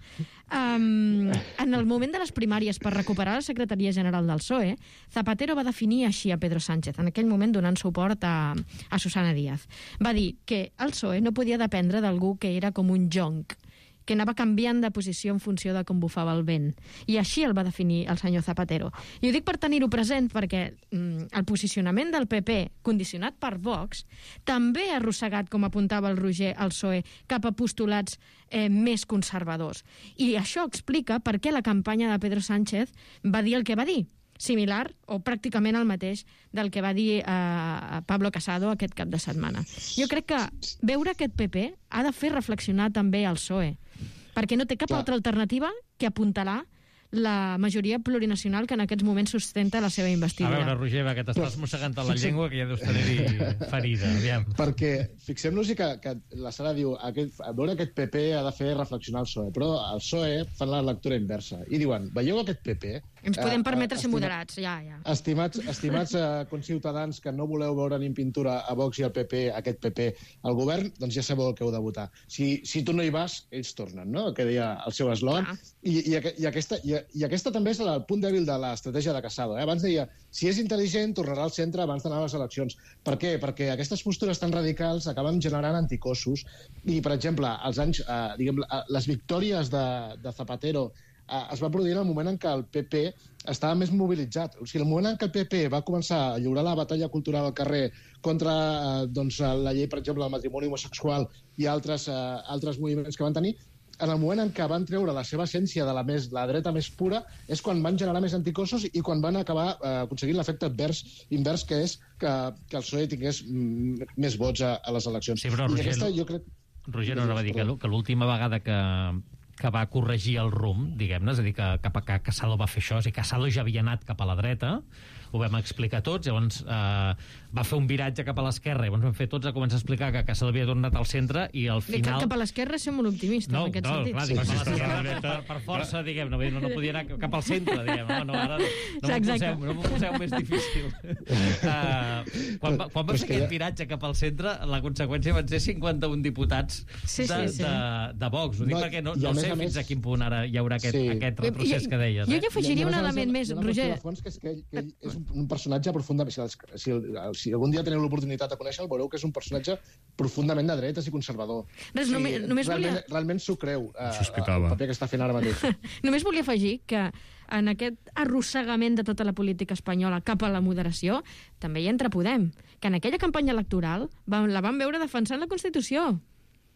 S6: En el moment de les primàries per recuperar la secretaria general del PSOE, Zapatero va definir així a Pedro Sánchez, en aquell moment donant suport a Susana Díaz. Va dir que el PSOE no podia dependre d'algú que era com un jonc, que anava canviant de posició en funció de com bufava el vent. I així el va definir el senyor Zapatero. I ho dic per tenir-ho present perquè el posicionament del PP, condicionat per Vox, també ha arrossegat, com apuntava el Roger, el PSOE, cap a postulats més conservadors. I això explica per què la campanya de Pedro Sánchez va dir el que va dir, similar o pràcticament el mateix del que va dir Pablo Casado aquest cap de setmana. Jo crec que veure aquest PP ha de fer reflexionar també el PSOE, perquè no té cap altra alternativa que apuntalar la majoria plurinacional que en aquests moments sustenta la seva investidura.
S2: A veure, Roger, que t'estàs mossegant a la llengua, que ja deus tenir-hi ferida. Aviam.
S5: Perquè fixem-nos que la Sara diu veure aquest PP ha de fer reflexionar el PSOE, però el PSOE fan la lectura inversa i diuen, veieu aquest PP?
S6: Ens podem permetre ser moderats, ja.
S5: Estimats conciutadans que no voleu veure ni en pintura a Vox i al PP, aquest PP, al govern, doncs ja sabeu el que heu de votar. Si tu no hi vas, ells tornen, no?, que deia el seu eslògan. I aquesta també és el punt dèbil de l'estratègia de Casado. Abans deia, si és intel·ligent, tornarà al centre abans d'anar a les eleccions. Per què? Perquè aquestes postures tan radicals acaben generant anticossos. I, per exemple, les victòries de Zapatero es va produir en el moment en què el PP estava més mobilitzat. O sigui, el moment en què el PP va començar a lliurar la batalla cultural al carrer contra la llei, per exemple, del matrimoni homosexual i altres moviments que van tenir, en el moment en què van treure la seva essència de la dreta més pura és quan van generar més anticossos i quan van acabar aconseguint l'efecte invers, que és que el PSOE tingués més vots a les eleccions.
S2: Sí, però Roger no va dir que l'última vegada que va corregir el rumb, diguem-ne, és a dir, que Casado va fer això, és a dir, Casado ja havia anat cap a la dreta, ho vam explicar tots, llavors va fer un viratge cap a l'esquerra, llavors vam fer tots a començar a explicar que Casado havia tornat al centre i al final...
S6: Cap a l'esquerra som molt optimistes, en aquest sentit.
S2: Clar, dic, cap a l'esquerra per força, diguem, no podia anar cap al centre, diguem, ara no m'ho poseu més difícil. Quan va fer aquest viratge cap al centre, la conseqüència van ser 51 diputats de Vox, ho dic perquè no sé fins a quin punt ara hi haurà aquest retrocés que deies.
S6: Jo hi afegiria un element més, Roger.
S5: Ell és un personatge profundament... Si algun dia teniu l'oportunitat de conèixer-lo, veureu que és un personatge profundament de dretes i conservador. Realment s'ho creu, el paper que està fent ara mateix.
S6: Només volia afegir que en aquest arrossegament de tota la política espanyola cap a la moderació també hi entra Podem, que en aquella campanya electoral la van veure defensant la Constitució.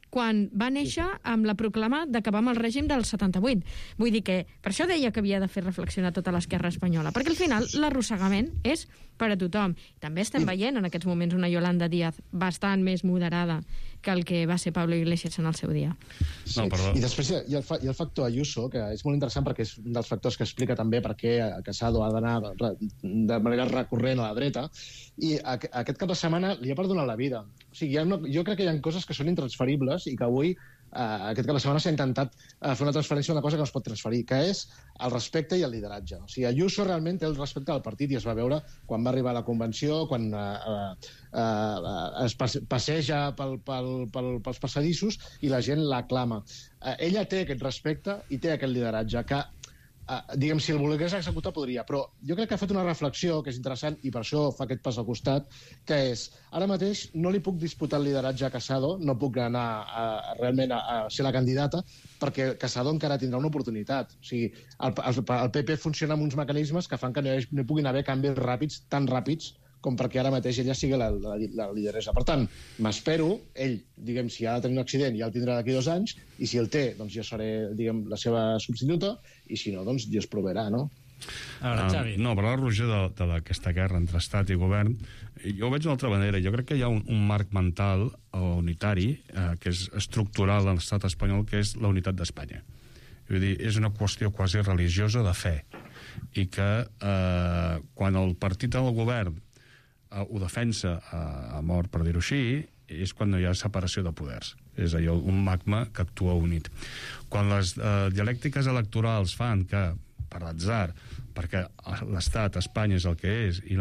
S6: quan va néixer amb la proclama d'acabar amb el règim del 78. Vull dir que per això deia que havia de fer reflexionar tota l'esquerra espanyola, perquè al final l'arrossegament és per a tothom. També estem veient en aquests moments una Yolanda Díaz bastant més moderada que el que va ser Pablo Iglesias en el seu dia.
S5: Sí. I després hi ha el factor Ayuso, que és molt interessant perquè és un dels factors que explica també per què Casado ha d'anar de manera recurrent a la dreta, i aquest cap de setmana li ha perdonat la vida. O sigui, jo crec que hi ha coses que són intransferibles i que avui, aquest cap de setmana, s'ha intentat fer una transferència d'una cosa que no es pot transferir, que és el respecte i el lideratge. O sigui, Ayuso realment té el respecte del partit i es va veure quan va arribar a la convenció, quan es passeja pels passadissos i la gent l'aclama. Ella té aquest respecte i té aquest lideratge que, diguem, si el volgués executar podria, però jo crec que ha fet una reflexió que és interessant i per això fa aquest pas al costat, que és, ara mateix no li puc disputar el lideratge a Casado, no puc anar realment a ser la candidata, perquè Casado encara tindrà una oportunitat. O sigui, el PP funciona amb uns mecanismes que fan que no hi puguin haver canvis ràpids, tan ràpids, com perquè ara mateix ella sigui la lideressa. Per tant, m'espero, ell, diguem, si ha de tenir un accident ja el tindrà d'aquí 2 anys, i si el té, doncs jo seré, diguem, la seva substituta, i si no, doncs Dios proveerà, no?
S2: A veure, Xavi.
S7: No, però la Roger d'aquesta guerra entre estat i govern, jo ho veig d'una altra manera. Jo crec que hi ha un marc mental unitari que és estructural en l'estat espanyol, que és la unitat d'Espanya. Vull dir, és una qüestió quasi religiosa de fe, i que quan el partit del govern ho defensa a mort, per dir-ho així, és quan no hi ha separació de poders. És allò, un magma que actua unit. Quan les dialèctiques electorals fan que, per l'atzar, perquè l'estat, Espanya, és el que és, i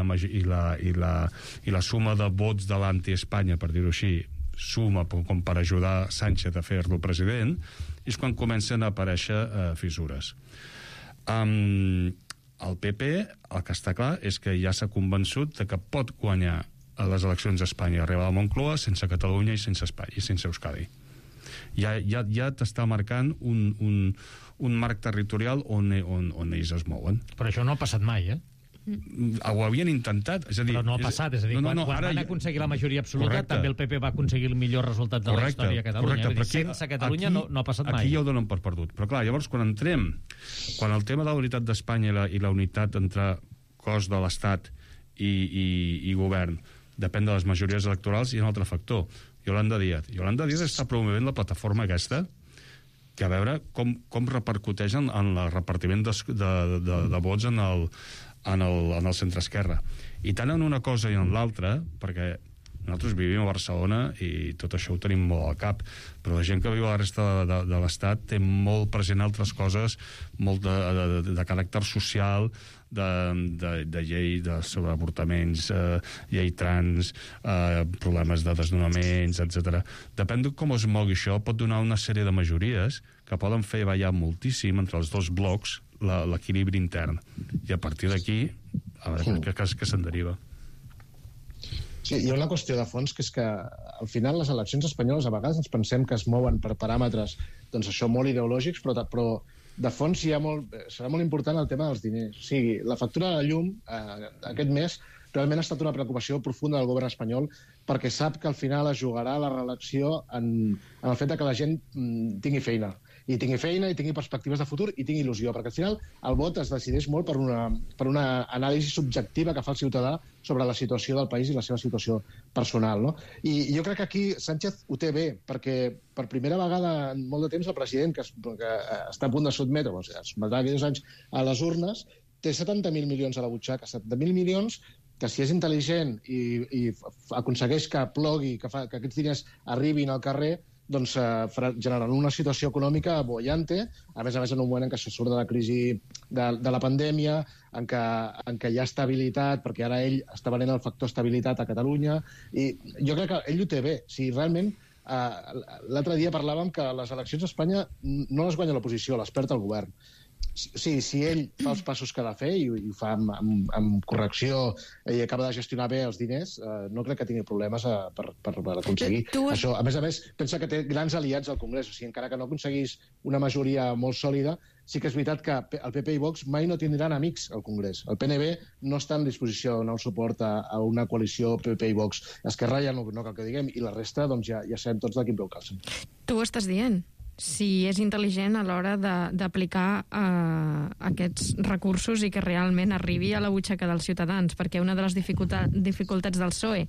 S7: la suma de vots de l'anti-Espanya, per dir-ho així, suma com per ajudar Sánchez a fer-lo president, és quan comencen a aparèixer fissures. El PP, el que està clar és que ja s'ha convençut de que pot guanyar a les eleccions a Espanya i arribar a Moncloa sense Catalunya i sense Espanya i sense Euskadi. Ja t'està marcant un marc territorial on ells es mouen.
S2: Però això no ha passat mai,
S7: Ho havien intentat, és a dir...
S2: Però no ha passat, és a dir, quan van aconseguir la majoria absoluta, correcte, també el PP va aconseguir el millor resultat de la història a Catalunya.
S7: Correcte,
S2: dir, sense Catalunya no ha passat mai.
S7: Aquí ja ho donen per perdut. Però clar, llavors quan el tema de la unitat d'Espanya i la unitat entre cos de l'Estat i govern depèn de les majories electorals, hi ha un altre factor. Yolanda Díaz està promovent la plataforma aquesta, que a veure com repercuteix en el repartiment de vots en el centre-esquerra. I tant en una cosa i en l'altra, perquè nosaltres vivim a Barcelona i tot això ho tenim molt al cap, però la gent que viu a la resta de l'Estat té molt present altres coses, molt de caràcter social, de llei sobre avortaments, llei trans, problemes de desnonaments, etc. Depèn de com es mogui això, pot donar una sèrie de majories que poden fer ballar moltíssim entre els dos blocs l'equilibri intern. I a partir d'aquí, a veure què se'n deriva.
S5: Sí, hi ha una qüestió de fons, que és que al final les eleccions espanyoles a vegades ens pensem que es mouen per paràmetres, doncs això, molt ideològics, però de fons serà molt important el tema dels diners. O sigui, la factura de la llum aquest mes realment ha estat una preocupació profunda del govern espanyol, perquè sap que al final es jugarà la reelecció en el fet que la gent tingui feina, i tingui perspectives de futur i tingui il·lusió, perquè al final el vot es decideix molt per una anàlisi subjectiva que fa el ciutadà sobre la situació del país i la seva situació personal, no? I jo crec que aquí Sánchez ho té bé, perquè per primera vegada en molt de temps el president, que està a punt de sotmetre, es sotmetrà aquells anys a les urnes, té 70.000 milions a la butxaca, 70.000 milions que si és intel·ligent i aconsegueix que plogui, que aquests diners arribin al carrer, doncs generant una situació econòmica bollante, a més en un moment en què se surt de la crisi de la pandèmia, en què hi ha estabilitat, perquè ara ell està venent el factor estabilitat a Catalunya, i jo crec que ell ho té bé. Si realment, l'altre dia parlàvem que les eleccions a Espanya no les guanya l'oposició, les perd el govern. si ell fa els passos que ha de fer i ho fa amb correcció i acaba de gestionar bé els diners, no crec que tingui problemes per aconseguir això. A més, pensa que té grans aliats al Congrés, o sigui, encara que no aconseguís una majoria molt sòlida, sí que és veritat que el PP i Vox mai no tindran amics al Congrés. El PNB no està en disposició de donar suport a una coalició PP i Vox. Esquerra ja no cal que diguem, i la resta doncs ja sabem tots de quin peu calcen.
S6: Tu ho estàs dient. Si és intel·ligent a l'hora d'aplicar aquests recursos i que realment arribi a la butxaca dels ciutadans, perquè una de les dificultats del PSOE,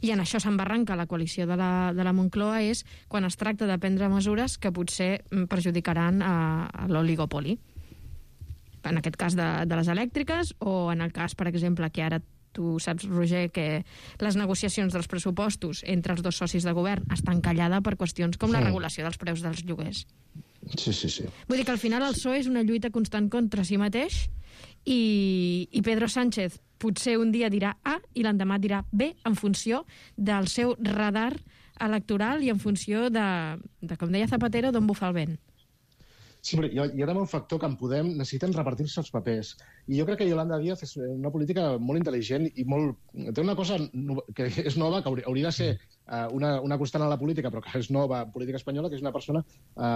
S6: i en això s'embarranca la coalició de la Moncloa, és quan es tracta de prendre mesures que potser perjudicaran a l'oligopoli. En aquest cas de les elèctriques, o en el cas, per exemple, que ara tu saps, Roger, que les negociacions dels pressupostos entre els dos socis de govern estan callades per qüestions com la regulació dels preus dels lloguers.
S5: Sí.
S6: Vull dir que al final el PSOE és una lluita constant contra si mateix i Pedro Sánchez potser un dia dirà A i l'endemà dirà B en funció del seu radar electoral i en funció de com deia Zapatero, d'on bufa el vent.
S5: Sí, però hi ha també un factor que en Podem necessiten repartir-se els papers. I jo crec que Yolanda Díaz és una política molt intel·ligent i té una cosa que és nova, que hauria de ser una constant a la política, però que és nova en política espanyola, que és una persona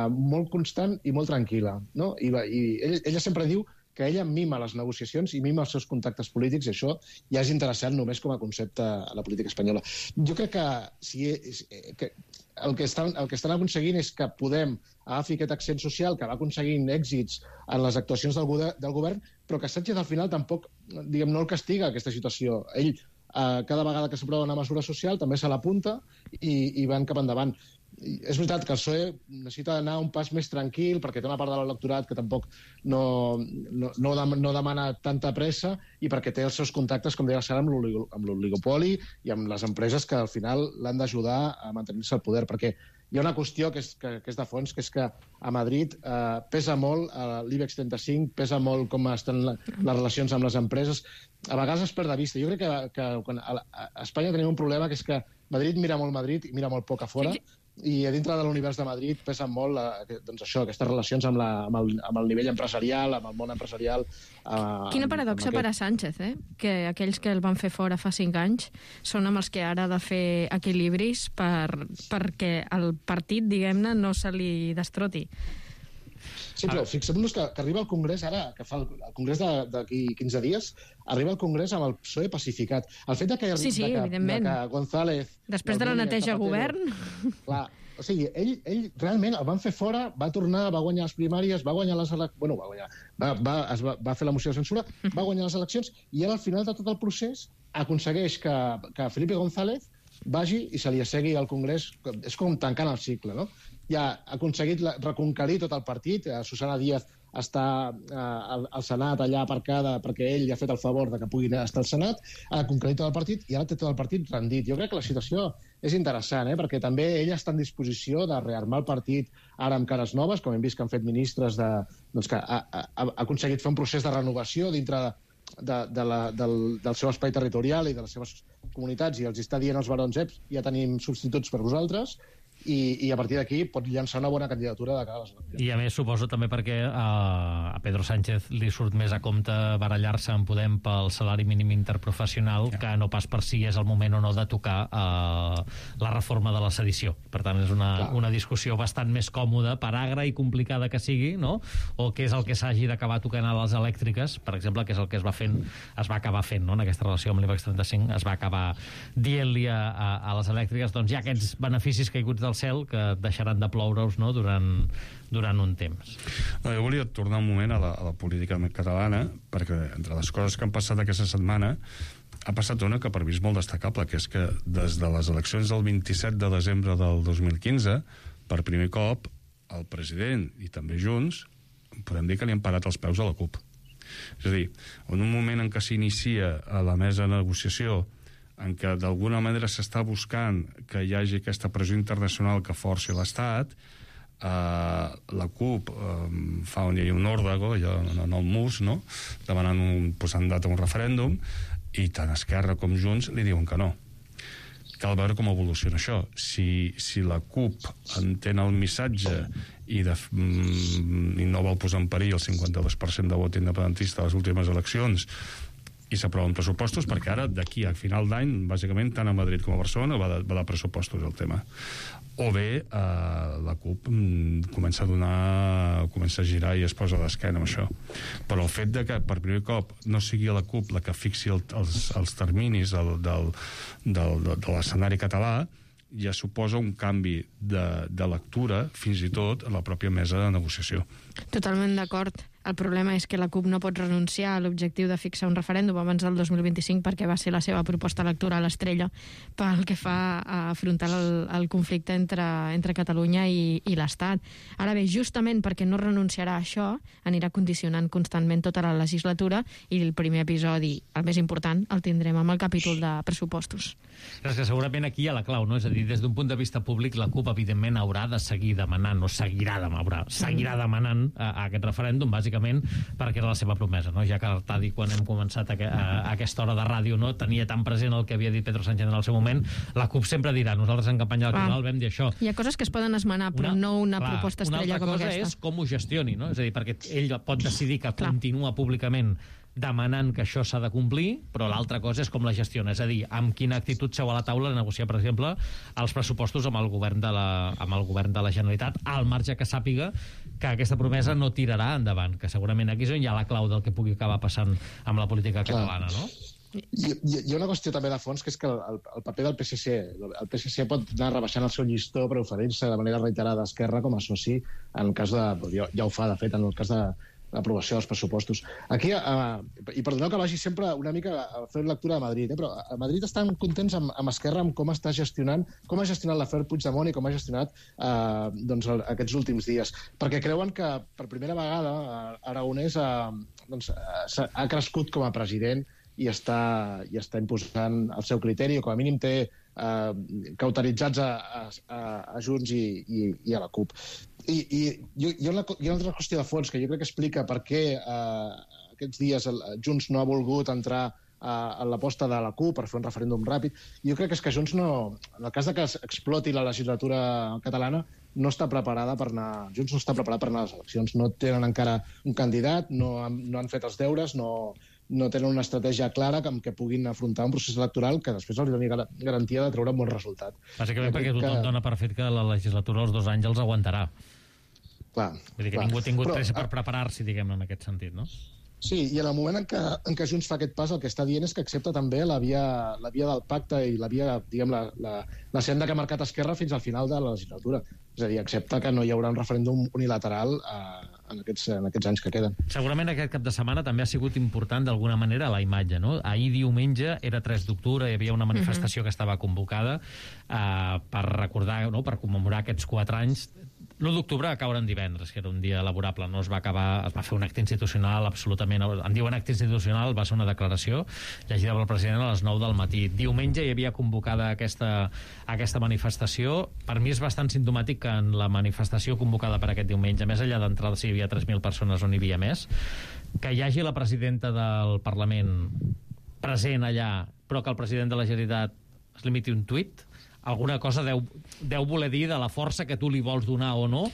S5: molt constant i molt tranquil·la. No? I ella sempre diu que ella mima les negociacions i mima els seus contactes polítics, i això ja és interessant només com a concepte a la política espanyola. Jo crec que el que estan aconseguint és que Podem agafi aquest accent social, que va aconseguint èxits en les actuacions del govern, però que Sánchez al final tampoc, diguem, no el castiga aquesta situació. Ell, cada vegada que s'aprova una mesura social, també se l'apunta i van cap endavant. És veritat que el PSOE necessita anar un pas més tranquil perquè té una part de l'electorat que tampoc no demana tanta pressa i perquè té els seus contactes, com deia Sara, amb l'oligopoli i amb les empreses que al final l'han d'ajudar a mantenir-se al poder, perquè hi ha una qüestió que és de fons, que és que a Madrid pesa molt l'IBEX 35, pesa molt com estan les relacions amb les empreses. A vegades es perd de vista. Jo crec que a Espanya tenim un problema, que és que Madrid mira molt Madrid i mira molt poc a fora, i a dintre de l'univers de Madrid pesen molt aquestes relacions amb el nivell empresarial, amb el món empresarial.
S6: Quina paradoxa per a Sánchez, que aquells que el van fer fora fa 5 anys són amb els que ara ha de fer equilibris perquè el partit, diguem-ne, no se li destroti.
S5: Sí, però fixem-nos que arriba al Congrés ara, que fa el Congrés d'aquí 15 dies, arriba al Congrés amb el PSOE pacificat. El fet que González...
S6: Després de la neteja govern...
S5: Clar, o sigui, ell realment el van fer fora, va tornar, va guanyar les primàries, va guanyar les eleccions... Bueno, va fer la moció de censura, va guanyar les eleccions, i ara al final de tot el procés aconsegueix que Felipe González vagi i se li assegui al Congrés. És com tancant el cicle, no? Ja ha aconseguit reconquerir tot el partit. Susana Díaz està al Senat allà aparcada perquè ell li ha fet el favor de que pugui estar al Senat, ha conquerit tot el partit i ara té tot el partit rendit. Jo crec que la situació és interessant, perquè també ell està en disposició de rearmar el partit ara amb cares noves, com hem vist que han fet ministres que ha aconseguit fer un procés de renovació dintre del seu espai territorial i de les seves comunitats, i els està dient als barons, ja tenim substituts per vosaltres, i a partir d'aquí pot llançar una bona candidatura de cara a les eleccions.
S2: I a més suposo també perquè a Pedro Sánchez li surt més a compte barallar-se en Podem pel salari mínim interprofessional que no pas per si és el moment o no de tocar la reforma de la sedició. Per tant, és una discussió bastant més còmoda, per agra i complicada que sigui, no? O què és el que s'hagi d'acabar tocant a les elèctriques, per exemple, que és el que es va acabar fent, no? En aquesta relació amb l'IBEX 35 es va acabar dient-li a les elèctriques, doncs hi ha aquests beneficis caiguts del cel que deixaran de ploure-us, no? durant un temps.
S7: No, jo volia tornar un moment a la política catalana, perquè entre les coses que han passat aquesta setmana ha passat una que per mi és molt destacable, que és que des de les eleccions del 27 de desembre del 2015, per primer cop, el president i també Junts podem dir que li han parat els peus a la CUP. És a dir, en un moment en què s'inicia a la mesa de negociació, en què d'alguna manera s'està buscant que hi hagi aquesta pressió internacional que forci l'Estat, la CUP fa un òrdago, allò en el mus, no? Demanant posant data a un referèndum, i tant Esquerra com Junts li diuen que no. cal veure com evoluciona això. Si la CUP entén el missatge i no vol posar en perill el 52% de vot independentista a les últimes eleccions i s'aproven pressupostos, perquè ara, d'aquí a final d'any, bàsicament, tant a Madrid com a Barcelona va de pressupostos el tema. O bé la CUP comença a girar i es posa d'esquena amb això. Però el fet de que per primer cop no sigui la CUP la que fixi els terminis de l'escenari català ja suposa un canvi de lectura, fins i tot a la pròpia mesa de negociació.
S6: Totalment d'acord. El problema és que la CUP no pot renunciar a l'objectiu de fixar un referèndum abans del 2025 perquè va ser la seva proposta electoral estrella pel que fa a afrontar el conflicte entre Catalunya i l'Estat. Ara bé, justament perquè no renunciarà a això, anirà condicionant constantment tota la legislatura i el primer episodi, el més important, el tindrem amb el capítol de pressupostos.
S2: És que segurament aquí hi ha la clau, no? És a dir, des d'un punt de vista públic, la CUP, evidentment, haurà de seguir demanant, seguirà demanant a aquest referèndum, bàsicament, perquè era la seva promesa, no? Ja que Artadi, quan hem començat a aquesta hora de ràdio, no tenia tan present el que havia dit Pedro Sánchez en el seu moment, la CUP sempre dirà, nosaltres en campanya electoral vam dir això.
S6: Hi ha coses que es poden esmenar, però no una proposta estrella com aquesta.
S2: Una altra cosa és com ho gestioni, no? És a dir, perquè ell pot decidir que continua públicament demanant que això s'ha de complir, però l'altra cosa és com la gestiona, és a dir, amb quina actitud seu a la taula a negociar, per exemple, els pressupostos amb el govern de la Generalitat, al marge que sàpiga que aquesta promesa no tirarà endavant, que segurament aquí és on hi ha la clau del que pugui acabar passant amb la política catalana, no?
S5: Hi ha una qüestió també de fons, que és que el paper del PSC, el PSC pot anar rebaixant el seu llistó per oferir-se de manera reiterada a Esquerra com a soci en el cas de... ja ho fa, de fet, en el cas de l'aprovació dels pressupostos. Aquí, i perdoneu que vagi sempre una mica a fer lectura de Madrid, però a Madrid estan contents amb Esquerra, amb com està gestionant, com ha gestionat l'afer Puigdemont i com ha gestionat aquests últims dies. Perquè creuen que per primera vegada Aragonès ha crescut com a president i està imposant el seu criteri, o com a mínim té cauteritzats a Junts i a la CUP. I hi ha una altra qüestió de fons que jo crec que explica per què aquests dies Junts no ha volgut entrar a l'aposta de la CUP per fer un referèndum ràpid. Jo crec que és que Junts no... En el cas de que exploti la legislatura catalana, no està preparada per anar... Junts no està preparat per anar a les eleccions. No tenen encara un candidat, no han fet els deures, no tenen una estratègia clara amb què puguin afrontar un procés electoral que després els doni garantia de treure un bon resultat.
S2: Bàsicament perquè tothom dona per fet que la legislatura als 2 anys els aguantarà.
S5: Clar.
S2: Vull dir que ningú ha tingut pressa per preparar-s'hi, diguem-ne, en aquest sentit, no?
S5: Sí, i en el moment en què Junts fa aquest pas, el que està dient és que accepta també la via del pacte i la via, diguem, la senda que ha marcat Esquerra fins al final de la legislatura. És a dir, accepta que no hi haurà un referèndum unilateral en aquests anys que queden.
S2: Segurament aquest cap de setmana també ha sigut important d'alguna manera la imatge, no? Ahir diumenge era 3 d'octubre, hi havia una manifestació que estava convocada per recordar, no?, per commemorar aquests 4 anys. L'1 d'octubre va caure en divendres, que era un dia laborable, no es va acabar, es va fer un acte institucional absolutament... En diuen acte institucional, va ser una declaració llegida pel president a les 9 del matí. Diumenge hi havia convocada aquesta manifestació. Per mi és bastant simptomàtic que en la manifestació convocada per aquest diumenge, més enllà d'entrada si hi havia 3.000 persones o n'hi havia més, que hi hagi la presidenta del Parlament present allà, però que el president de la Generalitat es limiti un tuit, alguna cosa deu voler dir de la força que tu li vols donar o no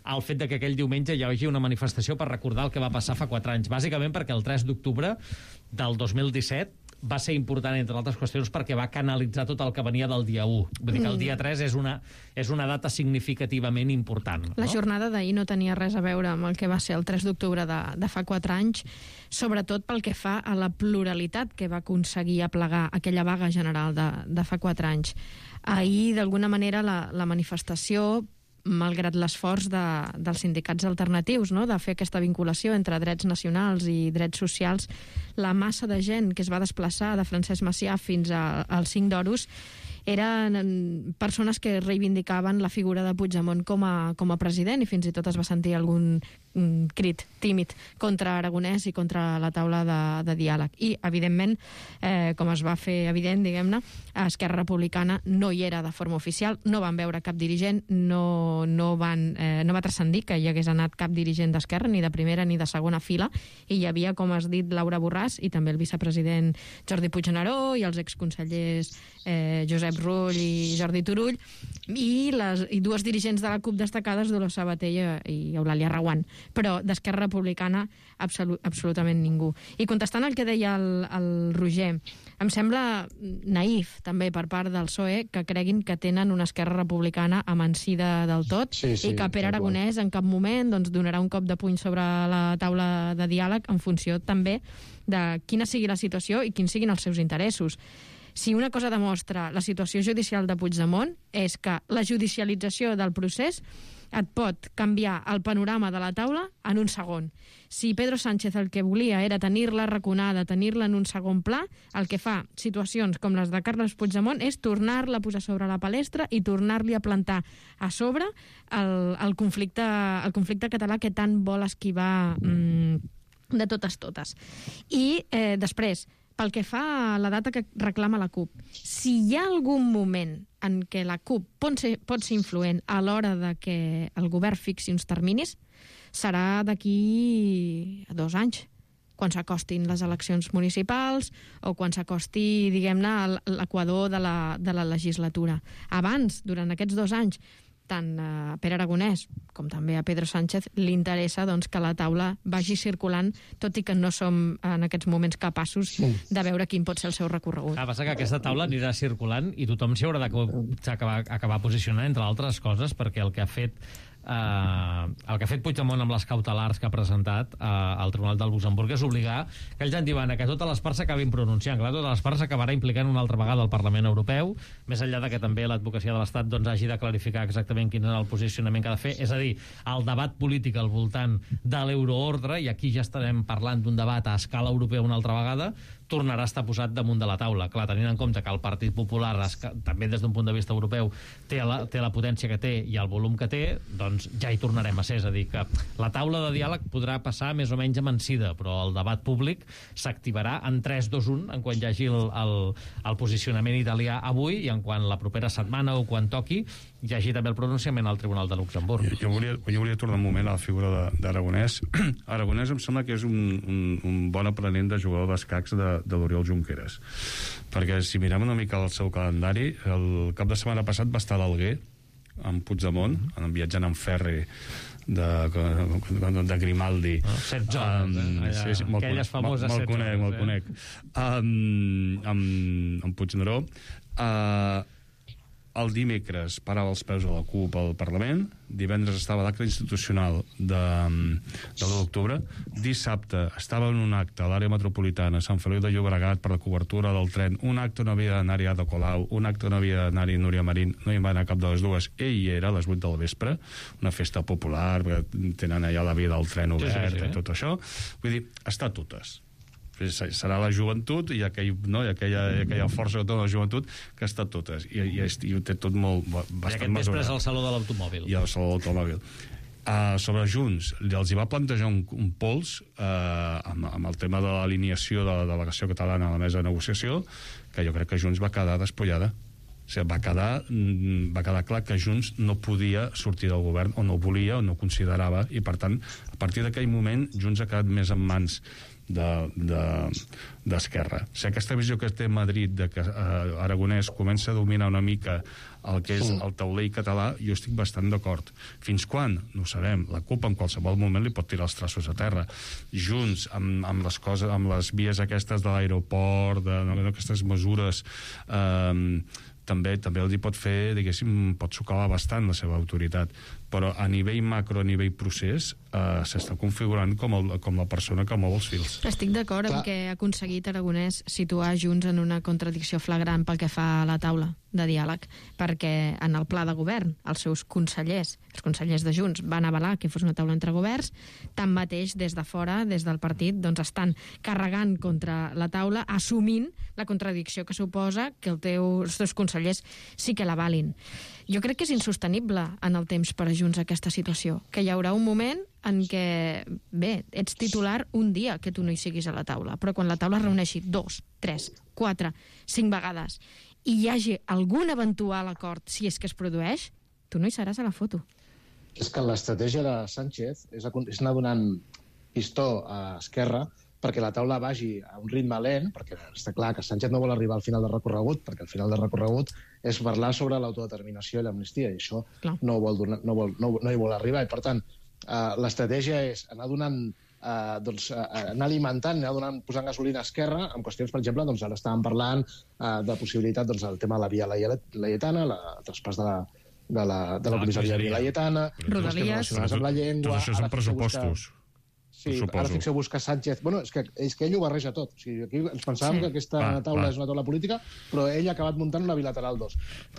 S2: al fet de que aquell diumenge hi hagi una manifestació per recordar el que va passar fa 4 anys. Bàsicament perquè el 3 d'octubre del 2017 va ser important, entre altres qüestions, perquè va canalitzar tot el que venia del dia 1. Vull dir que el dia 3 és una data significativament important. No?
S6: La jornada d'ahir no tenia res a veure amb el que va ser el 3 d'octubre de fa 4 anys, sobretot pel que fa a la pluralitat que va aconseguir aplegar aquella vaga general de fa 4 anys. Ahir, d'alguna manera, la manifestació, malgrat l'esforç dels sindicats alternatius, no?, de fer aquesta vinculació entre drets nacionals i drets socials, la massa de gent que es va desplaçar de Francesc Macià fins al 5 d'Oros eren persones que reivindicaven la figura de Puigdemont com a president, i fins i tot es va sentir algun crit tímid contra Aragonès i contra la taula de diàleg. I, evidentment, com es va fer evident, diguem-ne, Esquerra Republicana no hi era de forma oficial, no van veure cap dirigent, no va transcendir que hi hagués anat cap dirigent d'Esquerra, ni de primera ni de segona fila, i hi havia, com has dit, Laura Borràs i també el vicepresident Jordi Puigneró i els exconsellers Josep Rull i Jordi Turull i dues dirigents de la CUP destacades, Dolors Sabater i Eulàlia Reguant, però d'Esquerra Republicana absolutament ningú. I contestant al que deia el Roger, em sembla naïf també per part del PSOE que creguin que tenen una Esquerra Republicana amansida del tot i que Pere Aragonès en cap moment donarà un cop de puny sobre la taula de diàleg en funció també de quina sigui la situació i quins siguin els seus interessos. Si una cosa demostra la situació judicial de Puigdemont és que la judicialització del procés et pot canviar el panorama de la taula en un segon. Si Pedro Sánchez el que volia era tenir-la raconada, tenir-la en un segon pla, el que fa situacions com les de Carles Puigdemont és tornar-la a posar sobre la palestra i tornar-li a plantar a sobre el conflicte català que tant vol esquivar de totes. I després, pel que fa a la data que reclama la CUP, si hi ha algun moment en què la CUP pot ser influent a l'hora de que el govern fixi uns terminis, serà d'aquí a 2 anys, quan s'acostin les eleccions municipals o quan s'acosti, diguem-ne, l'equador de la legislatura. Abans, durant aquests 2 anys, tant a Pere Aragonès com també a Pedro Sánchez li interessa que la taula vagi circulant, tot i que no som en aquests moments capaços de veure quin pot ser el seu recorregut.
S2: Passa que aquesta taula anirà circulant i tothom s'hi haurà d'acabar posicionant, entre altres coses, perquè el que ha fet Puigdemont amb les cautelars que ha presentat al Tribunal del Luxemburg és obligar que ells en diuen que totes les parts s'acabin pronunciant, que totes les parts s'acabarà implicant una altra vegada al Parlament Europeu, més enllà de que també l'advocacia de l'Estat hagi de clarificar exactament quin és el posicionament que ha de fer, és a dir, el debat polític al voltant de l'euroordre, i aquí ja estarem parlant d'un debat a escala europea una altra vegada, tornarà a estar posat damunt de la taula. Clar, tenint en compte que el Partit Popular, també des d'un punt de vista europeu, té la potència que té i el volum que té, doncs ja hi tornarem a ser. És a dir, que la taula de diàleg podrà passar més o menys amansida, però el debat públic s'activarà en 3, 2, 1, en quan hi hagi el posicionament italià avui i en quan la propera setmana o quan toqui hi hagi també el pronunciament al Tribunal de Luxemburg.
S7: Jo volia tornar un moment a la figura d'Aragonès. Aragonès em sembla que és un bon aprenent de jugador d'escacs de l'Oriol Junqueras, perquè si mirem una mica el seu calendari, el cap de setmana passat va estar a l'Alguer amb Puigdemont, viatjant en ferri de Grimaldi.
S2: Set zones, aquelles famoses set zones.
S7: Me'l conec. Amb Puigneró. El dimecres parava els peus a la CUP al Parlament, divendres estava l'acte institucional de l'1 d'octubre, dissabte estava en un acte a l'àrea metropolitana a Sant Feliu de Llobregat per la cobertura del tren, un acte on havia d'anar-hi Ada Colau, un acte on havia d'anar-hi Núria Marín, no hi va anar cap de les dues, ell hi era a les 8 del vespre, una festa popular, perquè tenen allà la via del tren obert i tot això, vull dir, està totes. Serà la joventut i aquella força que té la joventut que està totes i ho té tot molt bastant mesurat.
S2: I aquest vespre és el Saló de l'Automòbil.
S7: I el Saló de l'Automòbil. Sobre Junts, els hi va plantejar un pols amb el tema de l'alineació de la delegació catalana a la mesa de negociació, que jo crec que Junts va quedar despullada. O sigui, va quedar clar que Junts no podia sortir del govern, o no volia, o no considerava, i per tant, a partir d'aquell moment, Junts ha quedat més en mans d'Esquerra. O sigui, aquesta visió que té Madrid de que Aragonès comença a dominar una mica el que és el taulell català, jo estic bastant d'acord. Fins quan? No ho sabem. La CUP en qualsevol moment li pot tirar els traços a terra. Junts, amb les coses, amb les vies aquestes de l'aeroport, d'aquestes mesures, també els hi pot fer, diguéssim, pot socavar bastant la seva autoritat, però a nivell macro, a nivell procés, s'està configurant com la persona que mou els fils.
S6: Estic d'acord amb que ha aconseguit Aragonès situar Junts en una contradicció flagrant pel que fa a la taula. de diàleg, perquè en el pla de govern els seus consellers, els consellers de Junts, van avalar que fos una taula entre governs, tanmateix des de fora, des del partit, doncs estan carregant contra la taula, assumint la contradicció que suposa que els teus consellers sí que l'avalin. Jo crec que és insostenible en el temps per a Junts aquesta situació, que hi haurà un moment en què, bé, ets titular un dia que tu no hi siguis a la taula, però quan la taula es reuneixi 2, 3, 4, 5 vegades i hi hagi algun eventual acord, si és que es produeix, tu no hi seràs a la foto.
S5: És que l'estratègia de Sánchez és anar donant pistó a Esquerra perquè la taula vagi a un ritme lent, perquè està clar que Sánchez no vol arribar al final del recorregut, perquè al final del recorregut és parlar sobre l'autodeterminació i l'amnistia, i això no hi vol arribar. I, per tant, l'estratègia és anar donant anar alimentant, posant gasolina a Esquerra amb qüestions, per exemple, ara estàvem parlant de possibilitat del tema de la via laietana, el traspàs de la comissaria de via laietana,
S6: Rodalies,
S5: amb la llengua...
S7: Tot això són pressupostos.
S5: Sí, ara fixeu-vos que Sánchez... Bueno, és que ell ho barreja tot. O sigui, aquí ens pensàvem que aquesta taula és una taula política, però ell ha acabat muntant una bilateral 2.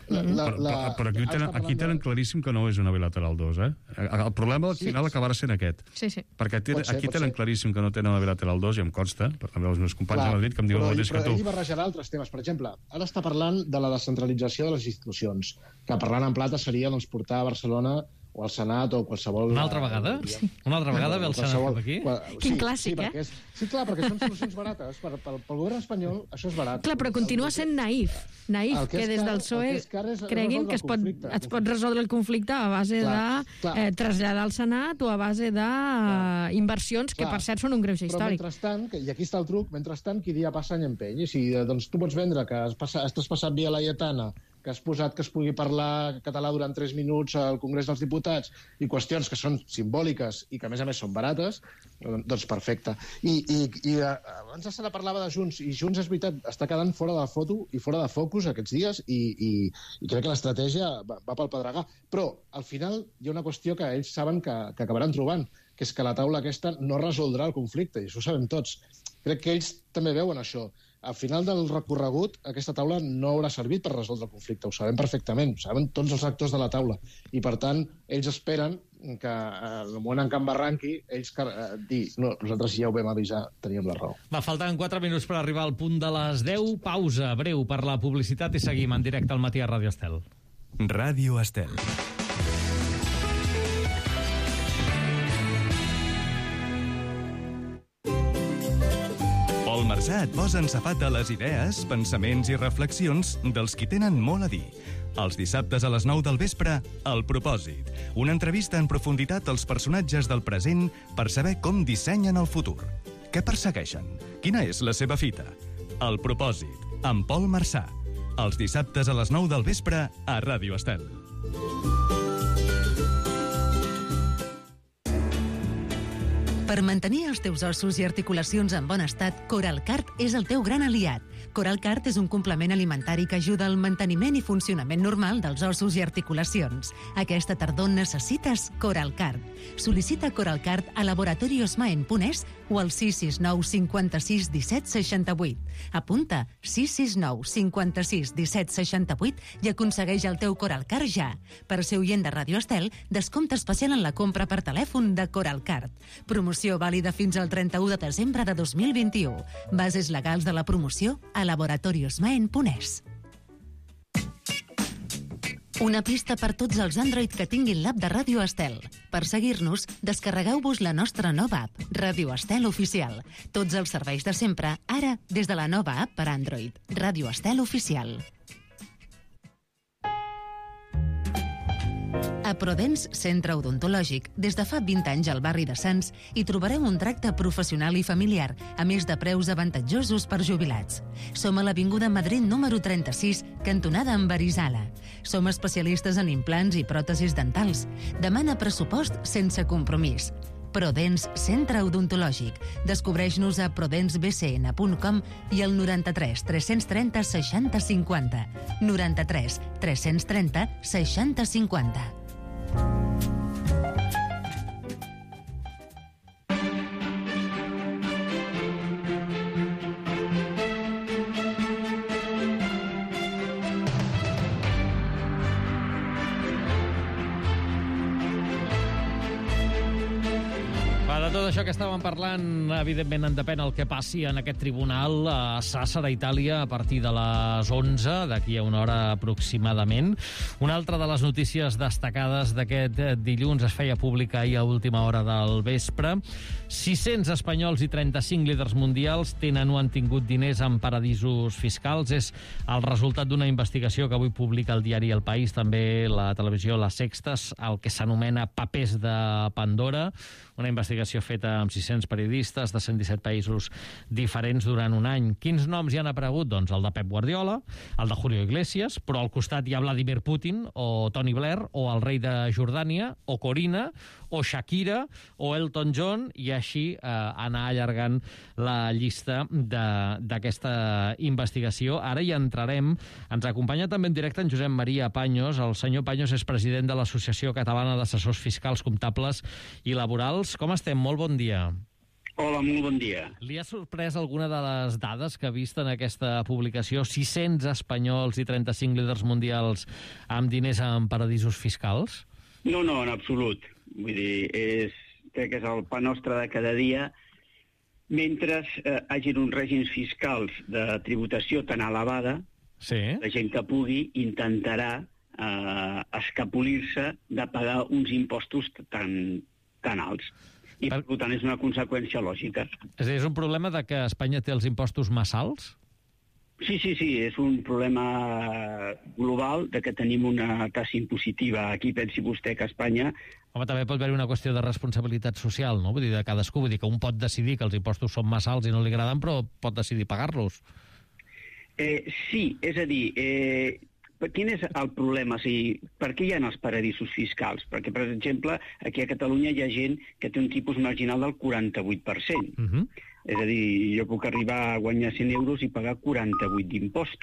S7: Però aquí tenen claríssim que no és una bilateral 2, eh? El problema al final acabarà sent aquest.
S6: Sí.
S7: Perquè aquí tenen claríssim que no tenen una bilateral 2, i em consta, però també els meus companys a Madrid que em diuen el mateix que tu.
S5: Però ell barrejarà altres temes. Per exemple, ara està parlant de la descentralització de les institucions, que parlant en plata seria portar a Barcelona o al Senat o qualsevol...
S2: Una altra vegada? Sí. Una altra vegada ve el Senat cap aquí?
S6: Quin clàssic,
S5: Sí, clar, perquè són solucions barates. Pel govern espanyol això és barat.
S6: Clar, però continua sent naïf, que des del PSOE creguin que es pot resoldre el conflicte a base de traslladar al Senat o a base d'inversions que, per cert, són un greuge històric.
S5: Però mentrestant, i aquí està el truc, mentrestant, qui dia passa any empeny. I si tu pots vendre que has traspassat via laietana, que has posat que es pugui parlar català durant 3 minuts al Congrés dels Diputats i qüestions que són simbòliques i que, a més són barates, doncs perfecte. I abans la Sara parlava de Junts, i Junts, és veritat, està quedant fora de la foto i fora de focus aquests dies, i crec que l'estratègia va pel pedregar. Però, al final, hi ha una qüestió que ells saben que acabaran trobant, que és que la taula aquesta no resoldrà el conflicte, i això ho sabem tots. Crec que ells també veuen això. Al final del recorregut, aquesta taula no haurà servit per resoldre el conflicte, ho sabem perfectament, ho saben tots els actors de la taula. I, per tant, ells esperen que, en el moment en què embarranqui, ells dir, no, nosaltres ja ho vam avisar, teníem la raó.
S2: Falten 4 minuts per arribar al punt de les 10. Pausa breu per la publicitat i seguim en directe al matí a Ràdio Estel.
S4: Ràdio Estel. Pol Marsà et posa en safata les idees, pensaments i reflexions dels qui tenen molt a dir. Els dissabtes a les 9 del vespre, El Propòsit. Una entrevista en profunditat als personatges del present per saber com dissenyen el futur. Què persegueixen? Quina és la seva fita? El Propòsit, amb Pol Marsà. Els dissabtes a les 9 del vespre a Ràdio Estel.
S8: Per mantenir els teus ossos i articulacions en bon estat, Coralcart és el teu gran aliat. Coralcart és un complement alimentari que ajuda al manteniment i funcionament normal dels ossos i articulacions. Aquesta tardor necessites Coralcart. Sol·licita Coralcart a laboratoriosmaen.es o al 669 56 17 68. Apunta 669 56 17 68 i aconsegueix el teu Coralcart ja. Per ser oient de Ràdio Estel, descompte especial en la compra per telèfon de Coralcart. Promoció vàlida fins al 31 de desembre de 2021. Bases legals de la promoció a laboratoriosmaen.es. Una pista per tots els Android que tinguin l'app de Ràdio Estel. Per seguir-nos, descarregueu-vos la nostra nova app, Ràdio Estel Oficial. Tots els serveis de sempre, ara des de la nova app per Android, Ràdio Estel Oficial. A Prodens Centre Odontològic, des de fa 20 anys al barri de Sants, hi trobareu un tracte professional i familiar, a més de preus avantatjosos per jubilats. Som a l'Avinguda Madrid número 36, cantonada amb Arizala. Som especialistes en implants i pròtesis dentals. Demana pressupost sense compromís. Prodens Centre Odontològic. Descobreix-nos a prodensbcn.com i al 93 330 60 50. 93 330 60 50.
S2: tot això que estàvem parlant, evidentment en depèn el que passi en aquest tribunal a Sàsser, a Itàlia, a partir de les 11, d'aquí a una hora aproximadament. Una altra de les notícies destacades d'aquest dilluns es feia pública ahir a última hora del vespre. 600 espanyols i 35 líders mundials tenen o han tingut diners en paradisos fiscals. És el resultat d'una investigació que avui publica el diari El País, també la televisió La Sexta, el que s'anomena Papers de Pandora, una investigació feta amb 600 periodistes de 117 països diferents durant un any. Quins noms hi han aparegut? Doncs el de Pep Guardiola, el de Julio Iglesias, però al costat hi ha Vladimir Putin, o Tony Blair, o el rei de Jordània, o Corina, o Shakira, o Elton John, i així anar allargant la llista d'aquesta investigació. Ara hi entrarem. Ens acompanya també en directe en Josep Maria Paños. El senyor Paños és president de l'Associació Catalana d'Assessors Fiscals, Comptables i Laborals. Com estem? Molt bon dia.
S9: Hola, molt bon dia.
S2: Li ha sorprès alguna de les dades que ha vist en aquesta publicació? 600 espanyols i 35 líders mundials amb diners en paradisos fiscals?
S9: No, en absolut. Vull dir, crec que és el pa nostre de cada dia. Mentre hagin uns règims fiscals de tributació tan elevada,
S2: sí,
S9: la gent que pugui intentarà escapolir-se de pagar uns impostos tan alts. I, per tant, és una conseqüència lògica.
S2: És a dir, és un problema de que Espanya té els impostos massa alts?
S9: Sí, és un problema global de que tenim una tassa impositiva. Aquí pensi vostè que a Espanya...
S2: Home, també pot haver una qüestió de responsabilitat social, no? Vull dir, de cadascú. Vull dir que un pot decidir que els impostos són massa alts i no li agraden, però pot decidir pagar-los.
S9: Sí, és a dir... Quin és el problema? O sigui, per què hi ha els paradisos fiscals? Perquè, per exemple, aquí a Catalunya hi ha gent que té un tipus marginal del 48%. És a dir, jo puc arribar a guanyar 100 euros i pagar 48 d'impostos.